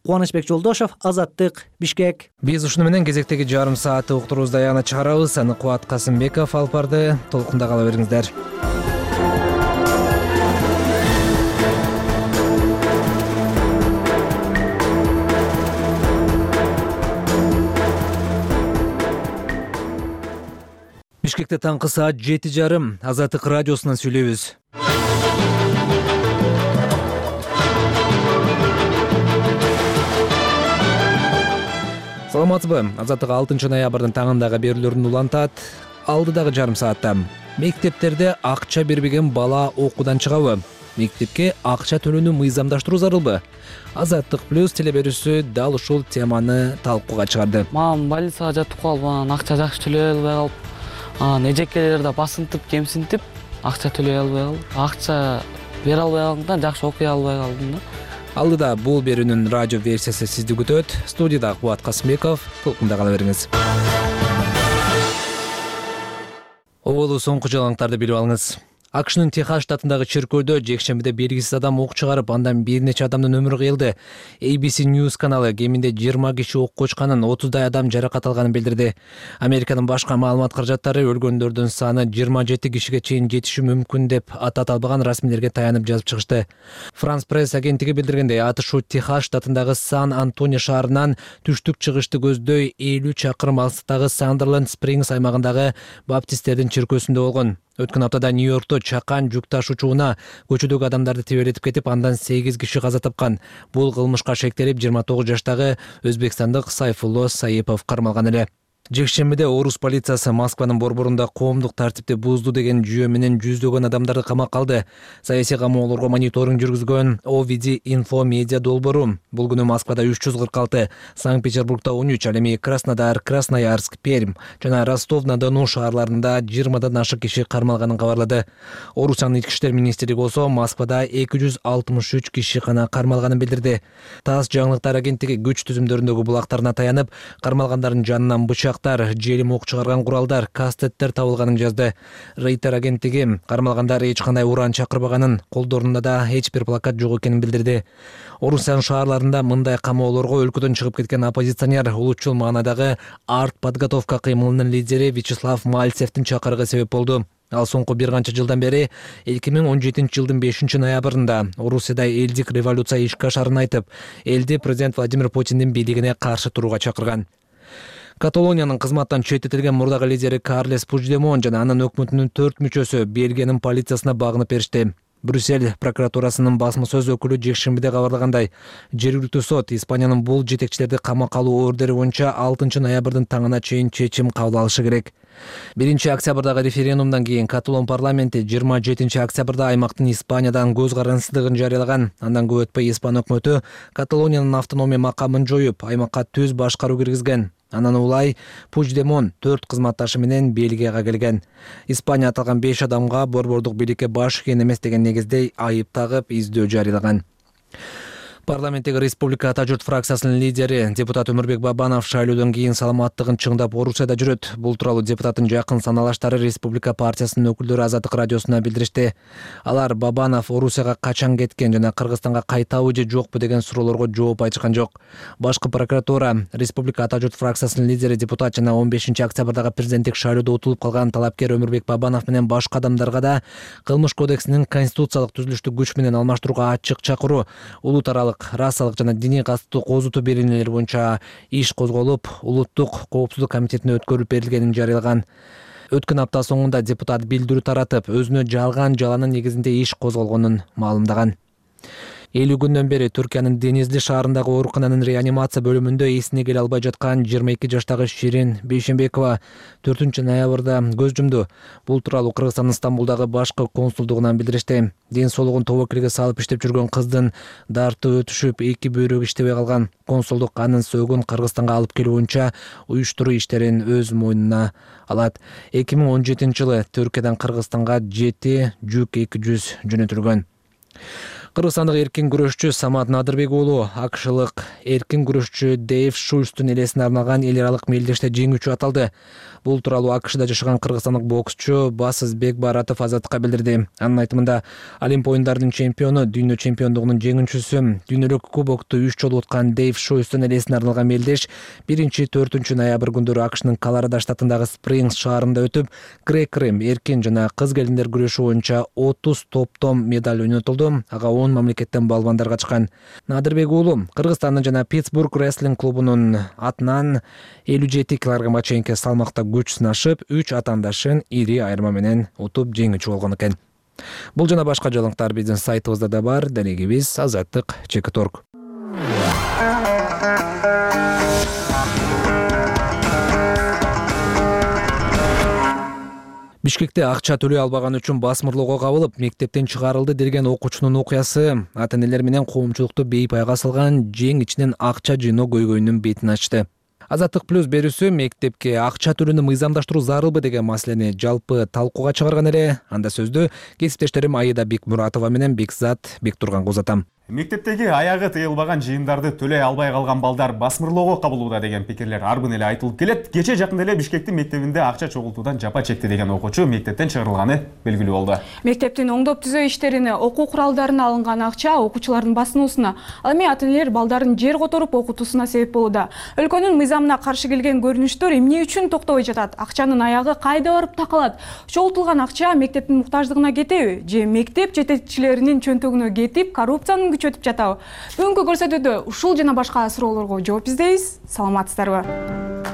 Кубанычбек Жолдошов, Азаттык, Бишкек. Биз ушуну менен кезектеги жарым саатты уктуруубузду аягына чыгарабыз. Аны Кубат Касымбеков алып барды. Толкунда кала бериңиздер. Бишкекте таңкы саат 7:30 Азаттык радиосунан сүйлөйбүз. Саламатсызбы? Азаттык 6 ноябрдын таңындагы берүүлөрүн улантат. Алдыдагы жарым саатта мектептерде акча бербеген бала окуудан чыгабы? Мектепке акча төлөөнү мыйзамдаштыруу зарылбы? Азаттык плюс телеберүүсү дал ушул теманы талкууга чыгарды. Мамам больницага жатып калып, анан акча жакшы төлөй албай калып, эжекелер да басынтып, кемсинтип, акча төлөй албай калып, акча бере албай калгандыктан жакшы окуй албай калдым да. Алдыда бул берүүнүн радио версиясы сизди күтөт. Студияда Кубат Касымбеков. Толкунда кала бериңиз. Оболу соңку жаңылыктарды билип алыңыз. АКШнын Техас штатындагы чиркөөдө жекшембиде белгисиз адам ок чыгарып, андан бир нече адамдын өмүрү кыйылды. ABC News каналы кеминде 20 киши окко учканын, 30дай адам жаракат алганын билдирди. Американын башка маалымат каражаттары өлгөндөрдүн саны 27 кишиге чейин жетиши мүмкүн деп атат албаган расмийлерге таянып жазып чыгышты. France Press агенттиги билдиргендей, атышуу Техас штатындагы Сан-Антонио шаарынан түштүк чыгышты көздөй 50 чакырым алыстыктагы Сандерленд Спрингс аймагындагы баптисттердин чиркөөсүндө болгон. Өткөн аптада Нью-Йоркто чакан жүк ташуучуна көчөдөгү адамдарды тебелетип кетип, андан 8 киши каза тапкан. Бул кылмышка шектелип 29 жаштагы өзбекстандык Сайфулло Саипов кармалган эле. Жекшембиде Орус полициясы Москванын борборунда коомдук тартипти бузду деген жүйө менен жүздөгөн адамдарды камакка алды. Саясий камоолорго мониторинг жүргүзгөн OVD Info Media долбоору бул күнү Москвада 346, Санкт-Петербургда 13, ал эми Краснодар, Красноярск, Пермь жана Ростов-на-Дону шаарларында 20дан ашык киши кармалганын кабарлады. Орусиянын ички иштер министрлиги болсо Москвада 263 киши гана кармалганын билдирди. ТАСС жаңылыктар агенттиги күч түзүмдөрүндөгү булактарына таянып, кармалгандардын жанынан бычак, желим ок чыгарган куралдар, кастеттер табылганын жазды. Рейтер агенттиги кармалгандар эч кандай уран чакырбаганын, колдорунда да эч бир плакат жок экенин билдирди. Орусиянын шаарларында мындай камоолорго өлкөдөн чыгып кеткен оппозиционер улутчул маанайдагы артподготовка кыймылынын лидери Вячеслав Мальцевдин чакырыгы себеп болду. Ал соңку бир канча жылдан бери 2017 жылдын 5 ноябрында Орусияда элдик революция ишке ашарын айтып, элди президент Владимир Путиндин бийлигине каршы турууга чакырган. Каталониянын кызматтан четтетилген мурдагы лидери Карлес Пучдемон жана анын өкмөтүнүн 4 мүчөсү Бельгиянын полициясына багынып беришти. Брюссель прокуратурасынын басма сөз өкүлү жекшембиде кабарлагандай, жергиликтүү сот Испаниянын бул жетекчилерди камакка алуу ордери боюнча 6 ноябрдын таңына чейин чечим кабыл алышы керек. 1 октябрдагы референдумдан кийин Каталон парламенти 27 октябрда аймактын Испаниядан көз карансыздыгын жарыялаган. Андан көп өтпөй Испан өкмөтү Каталониянын автономия макамын жоюп, аймакка түз башкаруу киргизген. Анан улай Пучдемон 4 кызматташы менен Бельгияга келген. Испания аталган 5 адамга борбордук бийликке баш ийген эмес деген негизде айып тагып, издөө жарыялаган. Парламенттеги Республика Ата журт фракциясынын лидери депутат Өмүрбек Бабанов шайлоодон кийин саламаттыгын чыңдап Орусияда жүрөт. Бул тууралуу депутаттын жакын саналаштары Республика партиясынын өкүлдөрү Азаттык радиосуна билдиришти. Алар Бабанов Орусияга качан кеткен жана Кыргызстанга кайтабы же жокпу деген суроолорго жооп айтышкан жок. Башкы прокуратура Республика Ата журт фракциясынын лидери депутат жана 15 октябрдагы президенттик шайлоодо утулуп калган талапкер Өмүрбек Бабанов менен башка адамдарга да кылмыш кодексинин конституциялык түзүлүштү күч менен алмаштырууга ачык чакыруу, улут аралык, расалык жана диний катыстуу козутуу беренелери боюнча иш козголуп, улуттук коопсуздук комитетине өткөрүлүп берилгенин жарыялаган. Өткөн апта соңунда депутат билдирүү таратып, өзүнө жалган жаланын негизинде иш козголгонун маалымдаган. 50 күндөн бери Түркиянын Денизли шаарындагы оорукананын реанимация бөлүмүндө эсине келе албай жаткан 22 жаштагы Ширин Бейшенбекова 4 ноябрда көз жумду. Бул тууралуу Кыргызстандын Стамбулдагы башкы консулдугунан билдиришти. Ден соолугун тобокелге салып иштеп жүргөн кыздын дарты өтүшүп, эки бөйрөгү иштебей калган. Консулдук анын сөөгүн Кыргызстанга алып келүү боюнча уюштуруу иштерин өз мойнуна алат. 2017 жылы Түркиядан Кыргызстанга 7 жүк 200 жөнөтүлгөн. Кыргызстандык эркин күрөшчү Самат Надырбек уулу акшылык эркин күрөшчү Дэйв Шульстун элесине арналган эл аралык мелдеште жеңүүчү аталды. Бул тууралуу АКШда жашаган кыргызстандык боксчу Басызбек Баратов Азаттыкка билдирди. Анын айтымында, Олимп оюндарынын чемпиону, дүйнө чемпиондугунун жеңүүчүсү, дүйнөлүк кубокту 3 жолу уткан Дэйв Шульстун элесине арналган мелдеш 1-4 ноябрь күндөрү АКШнын Колорадо штатындагы Спрингс шаарында өтүп, грек-рим, эркин жана кыз келиндер күрөшү боюнча 30 топтом медаль ойнотулду. Ага 10 мамлекеттен балбандар катышкан. Надырбек уулу Кыргызстандын жана Питтсбург рестлинг клубунун атынан 57 килограммга чейинки салмакта күч сынашып, 3 атаандашын ири айырма менен утуп жеңүүчү болгон экен. Бул жана башка жаңылыктар биздин сайтыбызда да бар. Дарегибиз Азаттык.org. Бишкекте акча төлөй албаган үчүн басмырлоого кабылып, мектептен чыгарылды деген окуучунун окуясы ата-энелер менен коомчулукту бейпайга салган жең ичинен акча жыйноо көйгөйүнүн бетин ачты. Азаттык плюс берүүсү мектепке акча төлөөнү мыйзамдаштыруу зарылбы деген маселени жалпы талкууга чыгарган эле. Анда сөздү кесиптештерим Аида Бекмуратова менен Бекзат Бектурганга узатам. Мектептеги аягы тыйылбаган жыйындарды төлөй албай калган балдар басмырлоого кабылууда деген пикирлер арбын эле айтылып келет. Кече жакында эле Бишкектин мектебинде акча чогултуудан жапа чекти деген окуучу мектептен чыгарылганы белгилүү болду. Мектептин оңдоп түзөө иштерине, окуу куралдарына алынган акча окуучулардын басынуусуна, ал эми ата-энелер балдарын жер которуп окутуусуна себеп болууда. Өлкөнүн мыйзамына каршы келген көрүнүштөр эмне үчүн токтобой жатат? Акчанын аягы кайда барып такалат? Чогултулган акча мектептин муктаждыгына кетеби? Же мектеп жетекчилеринин чөнтөгүнө кетип, коррупциянын өтүп жатабы? Бүгүнкү көрсөтүүдө ушул жана башка суроолорго жооп издейбиз. Саламатсыздарбы?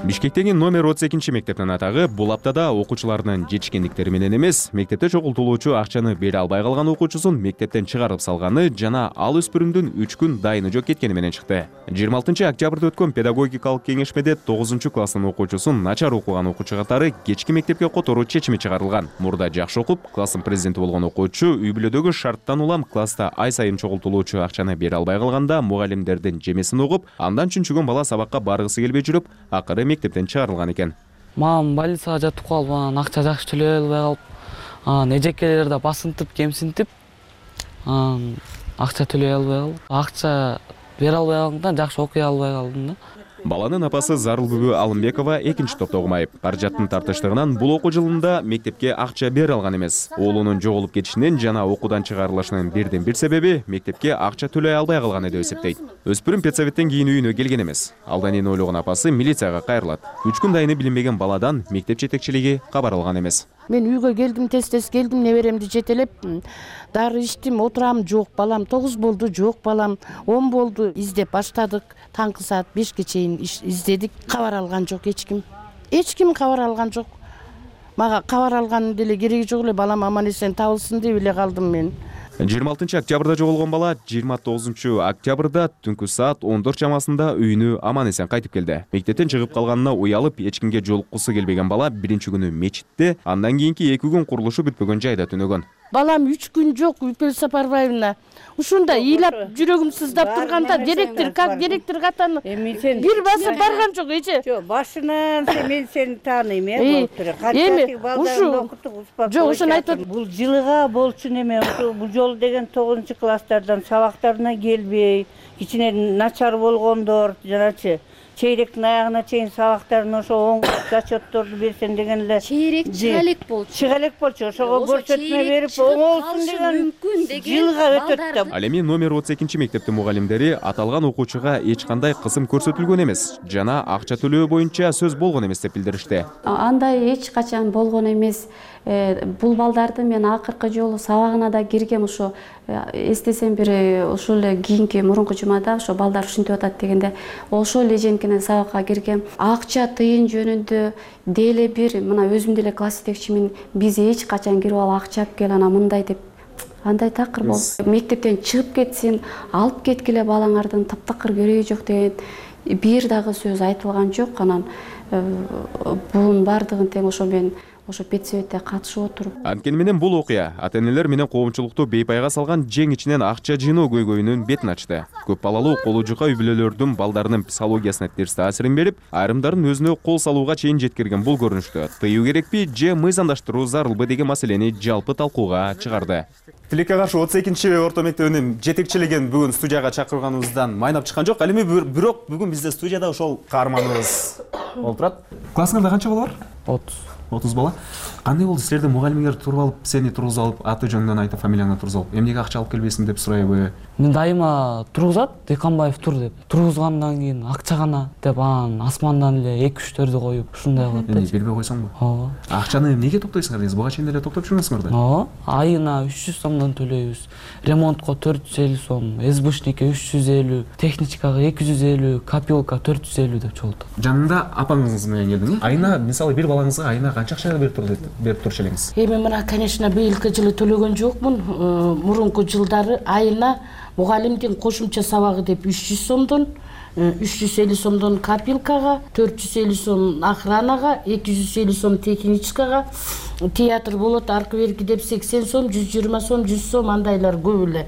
Бишкектеги номер 32 мектептин атагы бул аптада окуучулардын жетишкендиктери менен эмес, мектепте чогултулуучу акчаны бере албай калган окуучусун мектептен чыгарып салганы жана ал өспүрүмдүн 3 күн дайыны жок кеткени менен чыкты. 26 октябрда өткөн педагогикалык кеңешмеде 9 класстын окуучусун начар окуган окуучу катары кечки мектепке которуу чечими чыгарылган. Мурда жакшы окуп, класстын президенти болгон окуучу үй бүлөдөгү шарттан улам класста ай сайын чогултулуучу акчаны бере албай калганда мугалимдердин жемесин угуп, андан чүнчүгөн бала сабакка баргысы келбей жүрүп, акыры мектептен чыгарылган экен. Мамам больницага жатып калып, анан акча жакшы төлөй албай калып, эжекелер да басынтып, кемсинтип, акча төлөй албай калып, акча бере албай калганда жакшы окуй албай калдым да. Баланын апасы Зарылбүбү Алымбекова экинчи топто окумай. Каражаттын тартыштыгынан бул окуу жылында мектепке акча бере алган эмес. Оолунун жоголуп кетишинин жана окуудан чыгарылышынын бирден бир себеби мектепке акча төлөй албай калганы деп эсептейт. Өспүрүм педсоветтен кийин үйүнө келген эмес. Алдан эне ойлогон апасы милицияга кайрылат. 3 күн дайыны билинбеген баладан мектеп жетекчилиги кабар алган эмес. Мен үйгө келдим, тез келдим, неберемди жетелеп, дары ичтим, отурам, жок балам, 9 болду, жок балам, 10 болду, издеп баштадык. Таңкы саат 5ке чейин издедик, кабар алган жок эч ким. Эч ким кабар алган жок. Мага кабар алган деле кереги жок эле, балам аман эсен табылсын деп эле калдым мен. 26 октябрда жоголгон бала 29 октябрда түнкү саат 14 чамасында үйүнө аман эсен кайтып келди. Мектептен чыгып калганына уялып, эч кимге жолуккусу келбеген бала биринчи күнү мечитте, андан кийинки 2 күн курулушу бүтпөгөн жайда түнөгөн. Балам 3 күн жок, Үпел Сапарбаевна. Ушунда ыйлап жүрөгүм сыздап турганда директор, как директор катаны бир басып барган жок эже. Жок, башынан мен сени тааныйм, болуптур. Кантип балдарды окутуп успап. Жок, ошону айтып, бул жылыга болчу неме, бул жолу деген 9 класстардан сабактарына келбей, кичине начар болгондор, жаначы чейректин аягына чейин сабактарын ошо оң зачетторду берсен деген эле. Чейрек чыга элек болчу. Чыга элек болчу, ошого көрсөтмө берип оңолсун деген жылга өтөт да. Ал эми номер 32 мектептин мугалимдери аталган окуучуга эч кандай кысым көрсөтүлгөн эмес жана акча төлөө боюнча сөз болгон эмес деп билдиришти. Андай эч качан болгон эмес. Бул балдарды мен акыркы жолу сабагына да киргем, ошо эстесем бир ошол эле кийинки мурунку жумада ошо балдар ушинтип атат дегенде ошол эле женкинен сабакка киргем. Акча тыйын жөнүндө деле бир мына өзүм деле класс жетекчимин, биз эч качан кирип алып акча алып кел, ана мындай деп андай такыр болду. Мектептен чыгып кетсин, алып кеткиле балаңардын таптакыр кереги жок деген бир дагы сөз айтылган жок. Анан бунун бардыгын тең ошо мен ошо педсоветте катышып отуруп. Анткени менен бул окуя ата-энелер менен коомчулукту бейпайга салган жең ичинен акча жыйноо көйгөйүнүн бетин ачты. Көп балалуу колу жука үй бүлөлөрдүн балдарынын психологиясына терс таасирин берип, айрымдарын өзүнө кол салууга чейин жеткирген бул көрүнүштү тыюу керекпи же мыйзамдаштыруу зарылбы деген маселени жалпы талкууга чыгарды. Тилекке каршы 32 орто мектебинин жетекчилигин бүгүн студияга чакырганыбыздан майнап чыккан жок. Ал эми бирок бүгүн бизде студияда ошол каарманыбыз болуп турат. Классыңарда канча бала бар? 30 бала. Кандай болду? Силерде мугалимиңер туруп алып, сени тургузуп алып, аты жөнүңдөн айтып, фамилияңды тургузуп алып, эмнеге акча алып келбейсиң деп сурайбы? Мен дайыма тургузат, Деканбаев тур деп. Тургузгандан кийин акча гана деп анан асмандан эле 2-3төрдү коюп ушундай кылат да. Бербей койсоңбу? Ооба. Акчаны эмнеге топтойсуңар дейсиз? Буга чейин эле топтоп жүргөнсүңөр да? Ооба. Айына 300 сомдон төлөйбүз. Ремонтко 450 сом, СБшникке 350, техничкага 250, копилка 450 деп чогултуп. Жанында апаңыз менен келдиң. Айына, мисалы, бир балаңызга айына канча акча берип турчу элеңиз? Эми мына, конечно, быйылкы жылы төлөгөн жокмун. Мурунку жылдары айына мугалимдин кошумча сабагы деп 300 сомдон, 350 сомдон копилкага, 450 сом охранага, 250 сом техничкага, театр болот аркы берки деп 80 сом, 120 сом, 100 сом андайлар көп эле.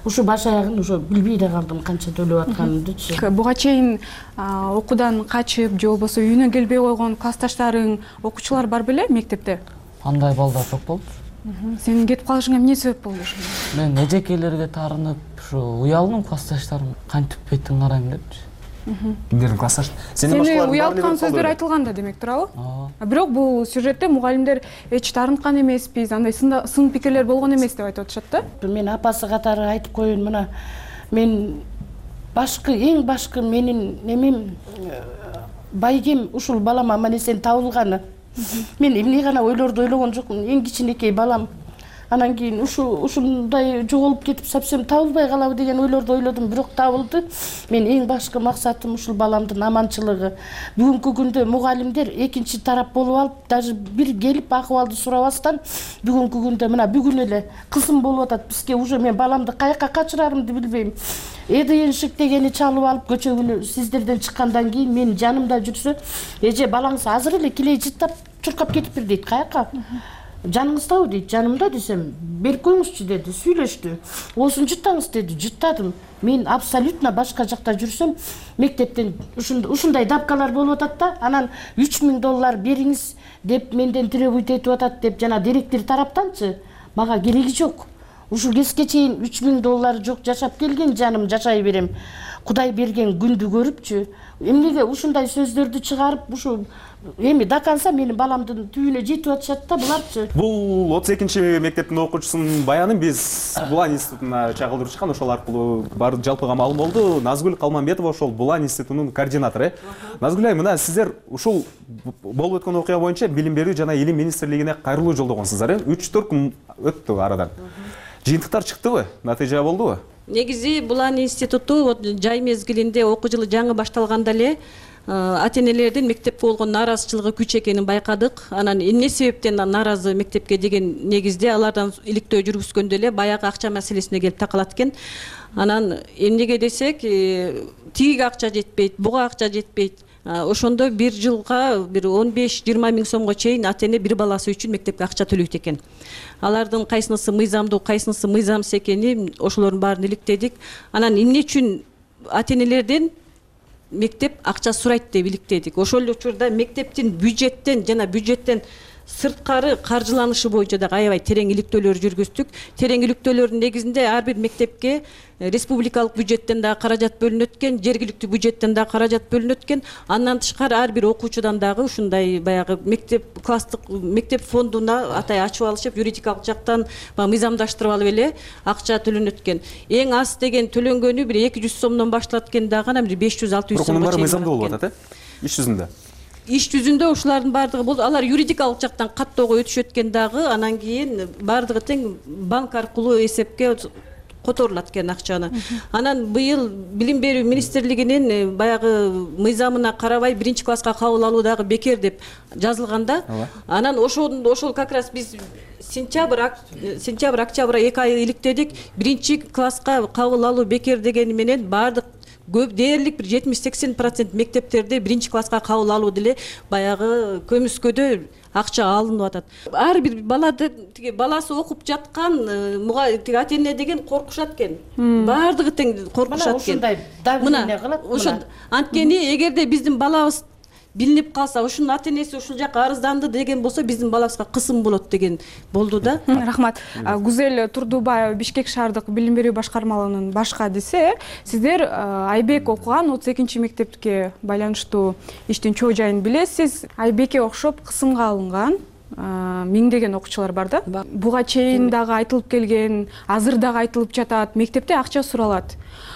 Ушу баш аягын уже билбей да калдым канча төлөп атканымдычы. Буга чейин окуудан качып же болбосо үйүнө келбей койгон классташтарың, окуучулар бар беле мектепте? Андай балдар жок болду. Сенин кетип калышыңа эмне себеп болду ошо? Мен эжекелерге таарынып, ушу уялдым, классташтарым кантип бетиң карайм депчи. Кимдердин классташ? Сени уялткан сөздөр айтылган да демек туурабы? Бирок бул сюжетте мугалимдер эч таарынткан эмеспиз, андай сын пикирлер болгон эмес деп айтып атышат да. Мен апасы катары айтып коеюн, мына мен эң башкы менин немем байгем ушул балам аман-эсен табылганы. Мен эмне гана ойлорду ойлогон жокмун, эң кичинекей балам. Анан кийин ушундай жоголуп кетип совсем табылбай калабы деген ойлорду ойлодум, бирок табылды. Мен эң башкы максатым ушул баламдын аманчылыгы. Бүгүнкү күндө мугалимдер экинчи тарап болуп алып, даже бир келип акыбалды сурабастан, бүгүнкү күндө мына бүгүн эле кызым болуп атат бизге, уже мен баламды каяка качырарымды билбейм. Эденшик дегени чалып алып көчөгүнү сиздерден чыккандан кийин мен жанымда жүрсө, эже балаңыз азыр эле килей жыттап чуркап кетиптир дейт. Каяка? Жаныңыздабы дейт. Жанымда десем, берип коюңузчу деди, сүйлөштү. Осун жыттаңыз деди, жыттадым. Мен абсолютно башка жакта жүрсөм, мектептен ушундай дапкалар болуп атат да, анан $3000 бериңиз деп менден требуйт этип атат деп жана директор тараптанчы, мага кереги жок. Ушул кезге чейин $3000 жок жашап келген жаным, жашай берем. Кудай берген күндү көрүпчү. Эмнеге ушундай сөздөрдү чыгарып, ушу эми даканса менин баламдын түбүнө жетип атышат да буларчы. Бул 32 мектептин окуучусунун баянын биз Булан институтуна чагылдырып чыккан, ошол аркылуу бар жалпыга маалым болду. Назгүл Калманбетова ошол Булан институтунун координатору. Назгүл айым, мына сиздер ушул болуп өткөн окуя боюнча билим берүү жана илим министрлигине кайрылуу жолдогонсуздар, 3-4 күн өттү арадан. Жыйынтыктар чыктыбы? Натыйжа болдубу? Негизи Булан институту жай мезгилинде окуу жылы жаңы башталганда эле ата-энелердин мектепке болгон нааразычылыгы күч экенин байкадык. Анан эмне себептен нааразы мектепке деген негизде алардан иликтөө жүргүзгөндө эле баягы акча маселесине келип такалат экен. Анан эмнеге десек, тиги акча жетпейт, буга акча жетпейт. Ошондо бир жылга бир 15-20 миң сомго чейин ата-эне бир баласы үчүн мектепке акча төлөйт экен. Алардын кайсынысы мыйзамдуу, кайсынысы мыйзамсыз экени ошолордун баарын иликтедик. Анан эмне үчүн ата-энелерден мектеп акча сурайт деп иликтедик. Ошол эле учурда мектептин бюджеттен жана бюджеттен сырткары каржыланышы боюнча да аябай терең иликтөөлөр жүргүздүк. Терең иликтөөлөрдүн негизинде ар бир мектепке республикалык бюджеттен да каражат бөлүнөт экен, жергиликтүү бюджеттен да каражат бөлүнөт экен. Андан тышкары ар бир окуучудан дагы ушундай баягы мектеп класстык мектеп фондуна атай ачып алышып, юридикалык жактан мыйзамдаштырып алып эле акча төлөнөт экен. Эң аз деген төлөнгөнү бир 200 сомдон башталат экен дагы, анан бир 500-600 сомго чейин. Мыйзамдуу болуп атат, иш жүзүндө. Иш жүзүндө ушулардын бардыгы болду. Алар юридикалык жактан каттоого өтүшөт экен дагы, анан кийин бардыгы тең банк аркылуу эсепке которулат экен акчаны. Анан быйыл билим берүү министрлигинин баягы мыйзамына карабай 1-класска кабыл алуу дагы бекер деп жазылганда, анан ошол как раз биз сентябрь, октябрь 2 ай иликтедик. 1-класска кабыл алуу бекер дегени менен баардык көп дээрлик бир 70-80% мектептерде 1-класска кабыл алуу деле баягы көмүскөдө акча алынып атат. Ар бир баласы окуп жаткан тиги ата-эне деген коркушат экен. Баардыгы тең коркушат экен. Ушундай давление кылат. Ошо анткени эгерде биздин балабыз билинип калса, ушунун ата-энеси ушул жака арызданды деген болсо, биздин балабызга кысым болот деген болду да. Рахмат. Гүзел Турдубаева, Бишкек шаардык билим берүү башкармалыгынын баш кадиси, сиздер Айбек окуган 32 мектепке байланыштуу иштин чоо жайын билесиз. Айбекке окшоп кысымга алынган миңдеген окуучулар бар да. Буга чейин дагы айтылып келген, азыр дагы айтылып жатат, мектепте акча суралат.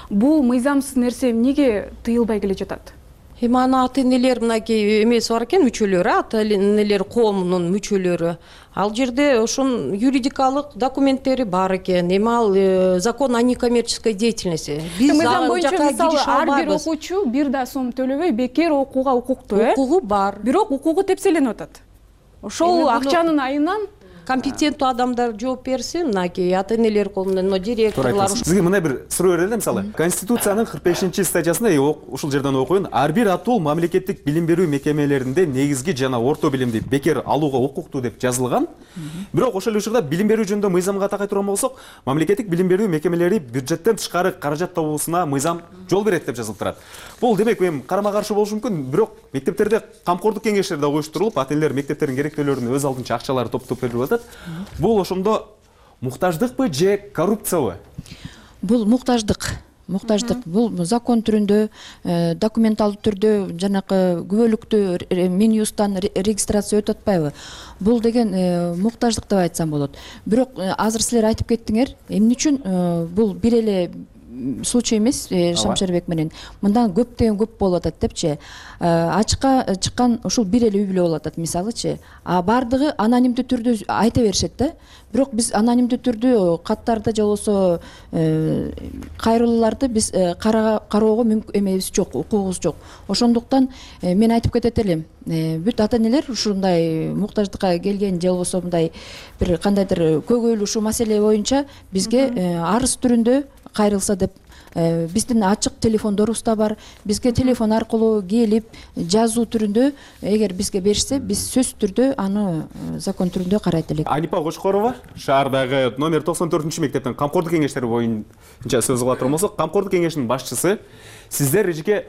Бул мыйзамсыз нерсе эмнеге тыйылбай келе жатат? Эми аны ата-энелер мынакей эмеси бар экен, мүчөлөрү, ата-энелер коомунун мүчөлөрү. Ал жерде ошонун юридикалык документтери бар экен. Эми ал закон о некоммерческой деятельности. Биз ал жака кириш албайбыз. Ар бир окуучу 1 да сом төлөбөй бекер окууга укуктуу, Укугу бар. Бирок укугу тепселенип атат. Ошол акчанын айынан компетенттүү адамдар жооп берсин, мынакей ата-энелер колунан, директорлор. Сизге мындай бир суроо берели, мисалы, Конституциянын 45-статьясында ушул жерден окуйун, ар бир атол мамлекеттик билим берүү мекемелеринде негизги жана орто билимди бекер алууга укуктуу деп жазылган. Бирок ошол учурда билим берүү жөнүндө мыйзамга такай турган болсок, мамлекеттик билим берүү мекемелери бюджеттен тышкары каражат табуусуна мыйзам жол берет деп жазылып турат. Бул демек эми карама-каршы болушу мүмкүн, бирок мектептерде камкордук кеңештери да уюштурулуп, ата-энелер мектептердин керектөөлөрүн өз алдынча акчалары топтоп берип атат. Бул ошондо муктаждыкпы же коррупциябы? Бул муктаждык. Бул закон түрүндө, документалдуу түрдө жанакы күбөлүктүү Минюстан регистрация өтүп атпайбы? Бул деген муктаждык деп айтсам болот. Бирок азыр силер айтып кеттиңер, эмне үчүн бул бир эле случай эмес, Шамшарбек менен. Мындан көптөн көп болуп атат депчи. Ачыкка чыккан ушул бир эле үй бүлө болуп атат, мисалычы. А бардыгы анонимдүү түрдө айта беришет да. Бирок биз анонимдүү түрдө каттарды же болбосо кайрылууларды биз кароого эмебиз жок, укугубуз жок. Ошондуктан мен айтып кетет элем, бүт ата-энелер ушундай муктаждыкка келген же болбосо мындай бир кандайдыр көйгөйлүү ушул маселе боюнча бизге арыз түрүндө кайрылса деп, биздин ачык телефондорубуз да бар. Бизге телефон аркылуу келип, жазуу түрүндө эгер бизге беришсе, биз сөзсүз түрдө аны закон түрүндө карайт элек. Анипа Кочкорова, шаардагы номер 94-мектептин камкордук кеңештери боюнча сөз кыла турган болсок, камкордук кеңешинин башчысы, сиздер эжеке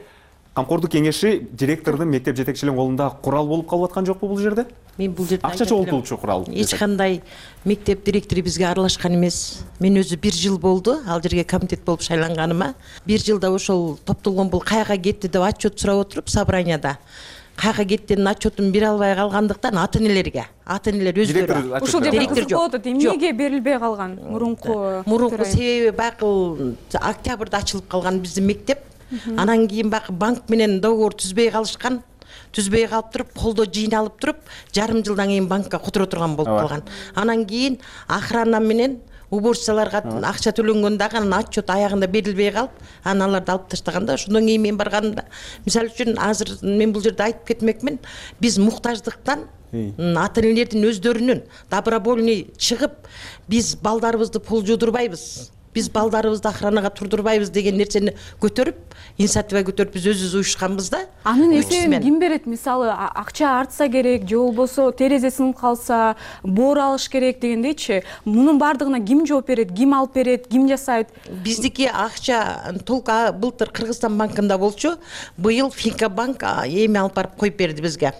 камкордук кеңеши директордун, мектеп жетекчилеринин колунда курал болуп калып аткан жокпу бул жерде? Мен бул жерде акча чогултуучу курал. Эч кандай мектеп директору бизге аралашкан эмес. Мен өзү 1 жыл болду ал жерге комитет болуп шайланганыма. 1 жылда ошол топтолгон бул каяка кетти деп отчет сурап отуруп собранияда. Каяка кеттинин отчетун бере албай калгандыктан ата-энелерге, ата-энелер өздөрү. Ушул жерде кызык болуп атат, эмнеге берилбей калган мурунку себеби баягы октябрда ачылып калган биздин мектеп. Анан кийин баягы банк менен договор түзбөй калышкан. Түзбөй калып туруп, колдо жыйналып туруп, жарым жылдан кийин банкка которо турган болуп калган. Анан кийин охрана менен уборщицаларга акча төлөнгөн дагы анан отчет аягында берилбей калып, анан аларды алып таштаганда, ошондон кийин мен барганда, мисалы үчүн азыр мен бул жерде айтып кетмекмин, биз муктаждыктан ата-энелердин өздөрүнүн добровольный чыгып, биз балдарыбызды пул жудурбайбыз. Биз балдарыбызды охранага турдурбайбыз деген нерсени көтөрүп, инициатива көтөрүп биз өзүбүз уюшканбыз да. Анын эсебин ким берет? Мисалы, акча артса керек, же болбосо терезе сынып калса, боор алыш керек дегендейчи. Мунун бардыгына ким жооп берет, ким алып берет, ким жасайт? Биздики акча толк былтыр Кыргызстан банкында болчу, быйыл Финка банк эми алып барып коюп берди бизге.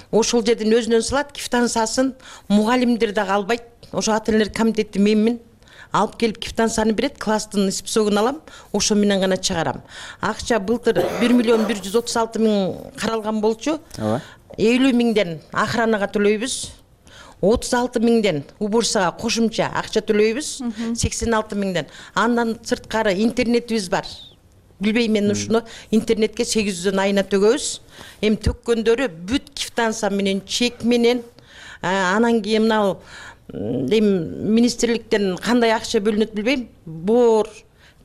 Ошол жерден өзүнөн салат, квитанциясын мугалимдер дагы албайт. Ошо ата-энелер комитети менмин. Алып келип квитанцияны берет, класстын списогун алам, ошо менен гана чыгарам. Акча былтыр 1.136.000 каралган болчу. 50.000ден охранага төлөйбүз. 36.000ден уборщицага кошумча акча төлөйбүз. 86.000ден. Андан сырткары интернетибиз бар. Билбейм мен ушуну интернетке 800дөн айына төгөбүз. Эми төккөндөрү бүт квитанция менен, чек менен, анан кийин мына эми министрликтен кандай акча бөлүнөт билбейм. Бор,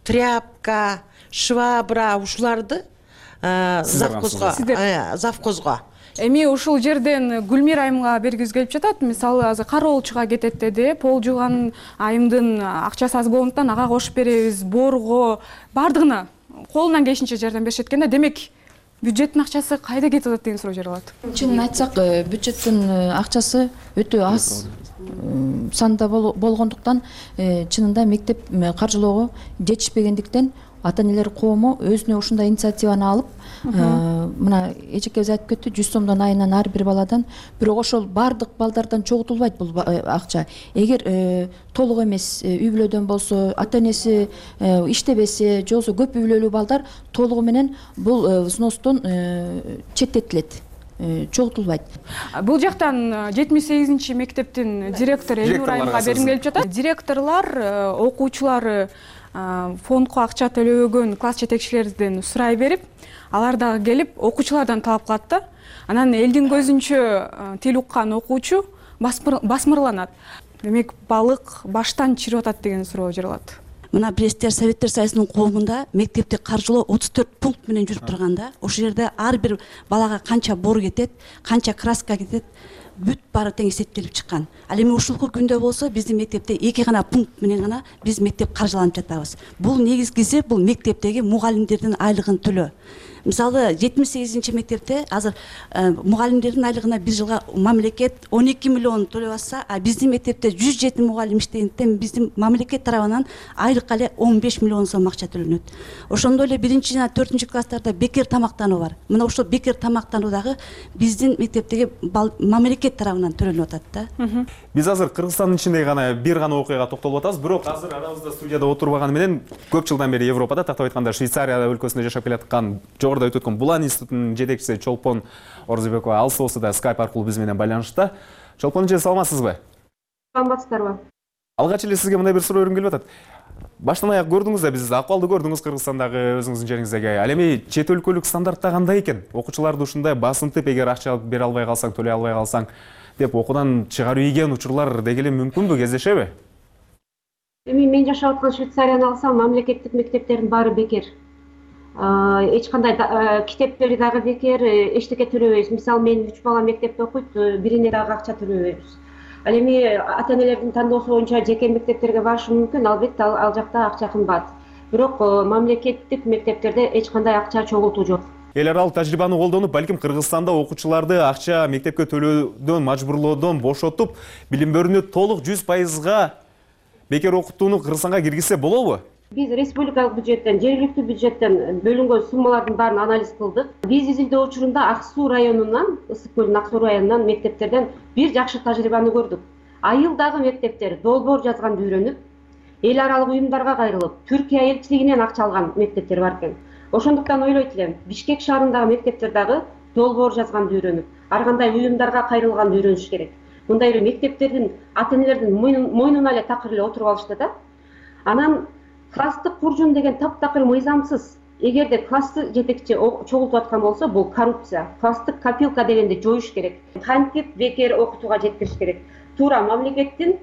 тряпка, швабра ушуларды завхозго. Эми ушул жерден Гүлмир айымга бергиз келип жатат. Мисалы азыр кароолчуга кетет деди. Пол жууган айымдын акчасы аз болгондуктан ага кошуп беребиз, борго, бардыгына колунан келишинче жардам беришет экен да. Демек бюджеттин акчасы кайда кетип атат деген суроо жаралат. Чынын айтсак, бюджеттин акчасы өтө аз санда болгондуктан чынында мектеп каржылоого жетишпегендиктен ата-энелер коому өзүнө ушундай инициативаны алып, мына эжекебиз айтып кетти, 100 сомдон айынан ар бир баладан, бирок ошол бардык балдардан чогултулбайт бул акча. Эгер толук эмес үй бүлөдөн болсо, ата-энеси иштебесе, же болбосо көп үй бүлөлүү балдар толугу менен бул взностон четтетилет. Чогултулбайт. Бул жактан 78 мектептин директору Элнур айымга бергим келип жатат. Директорлор окуучулары фондко акча төлөбөгөн класс жетекчилерден сурай берип, алар дагы келип окуучулардан талап кылат да. Анан элдин көзүнчө тил уккан окуучу басмырланат. Демек балык баштан чирип атат деген суроо жаралат. Мына Пресстер Советтер Союзунун коомунда мектепти каржылоо 34 пункт менен жүрүп турганда, ошол жерде ар бир балага канча бор кетет, канча краска кетет, бүт баары тең эсептелип чыккан. Ал эми ушулку күндө болсо биздин мектепте 2 гана пункт менен гана биз мектеп каржыланып жатабыз. Бул негизгиси бул мектептеги мугалимдердин айлыгын төлөө. Мисалы 78 мектепте азыр мугалимдердин айлыгына бир жылга мамлекет 12 миллион төлөп атса, а биздин мектепте 107 мугалим иштегендиктен биздин мамлекет тарабынан айлыкка эле 15 миллион сом акча төлөнөт. Ошондой эле 1 жана 4 класстарда бекер тамактануу бар. Мына ошол бекер тамактануу дагы биздин мектептеги мамлекет тарабынан төлөнүп атат да. Биз азыр Кыргызстандын ичинде гана бир гана окуяга токтолуп атабыз, бирок азыр арабызда студияда отурбаганы менен көп жылдан бери Европада, тактап айтканда Швейцария өлкөсүндө жашап келаткан жогоруда өтүп өткөн Булан институтунун жетекчиси Чолпон Орзубекова алыс болсо да Skype аркылуу биз менен байланышта. Чолпон эже, саламатсызбы? Саламатсыздарбы? Алгач эле сизге мындай бир суроо бергим келип атат. Баштан аяк көрдүңүз да, биз акыбалды көрдүңүз Кыргызстандагы өзүңүздүн жериңиздеги. Ал эми чет өлкөлүк стандартта кандай экен? Окуучуларды ушундай басынтып, эгер акча бере албай калсаң, төлөй албай калсаң деп окуудан чыгарып ийген учурлар дегеле мүмкүнбү, кездешеби? Эми мен жашап аткан Швейцарияны алсам, мамлекеттик мектептердин баары бекер. Эч кандай китептери дагы бекер, эчтеке төлөбөйбүз. Мисалы, мен 3 бала мектепте окуйт, бирине дагы акча төлөбөйбүз. Ал эми ата-энелердин тандоосу боюнча жеке мектептерге барышы мүмкүн, албетте ал жакта акча кымбат. Бирок мамлекеттик мектептерде эч кандай акча чогултуу жок. Эл аралык тажрыйбаны колдонуп, балким Кыргызстанда окуучуларды акча мектепке төлөөдөн, мажбурлоодон бошотуп, билим берүүнү толук 100% бекер окутууну Кыргызстанга киргизсе болобу? Биз республикалык бюджеттен, жергиликтүү бюджеттен бөлүнгөн суммалардын баарын анализ кылдык. Биз изилдөө учурунда Ак Суу районунан, Ысык көлдүн Ак Суу районунан мектептерден бир жакшы тажрыйбаны көрдүк. Айылдагы мектептер долбоор жазганды үйрөнүп, эл аралык уюмдарга кайрылып, Түркия элчилигинен акча алган мектептер бар экен. Ошондуктан ойлойт элем, Бишкек шаарындагы мектептер дагы долбоор жазганды үйрөнүп, ар кандай уюмдарга кайрылганды үйрөнүш керек. Мындай эле мектептердин ата-энелердин мойнуна эле такыр эле отуруп алышты да. Анан класстык куржун деген таптакыр мыйзамсыз. Эгерде классы жетекчи чогултуп аткан болсо, бул коррупция. Класстык копилка дегенди жоюш керек. Кантип бекер окутууга жеткириш керек. Туура мамлекеттин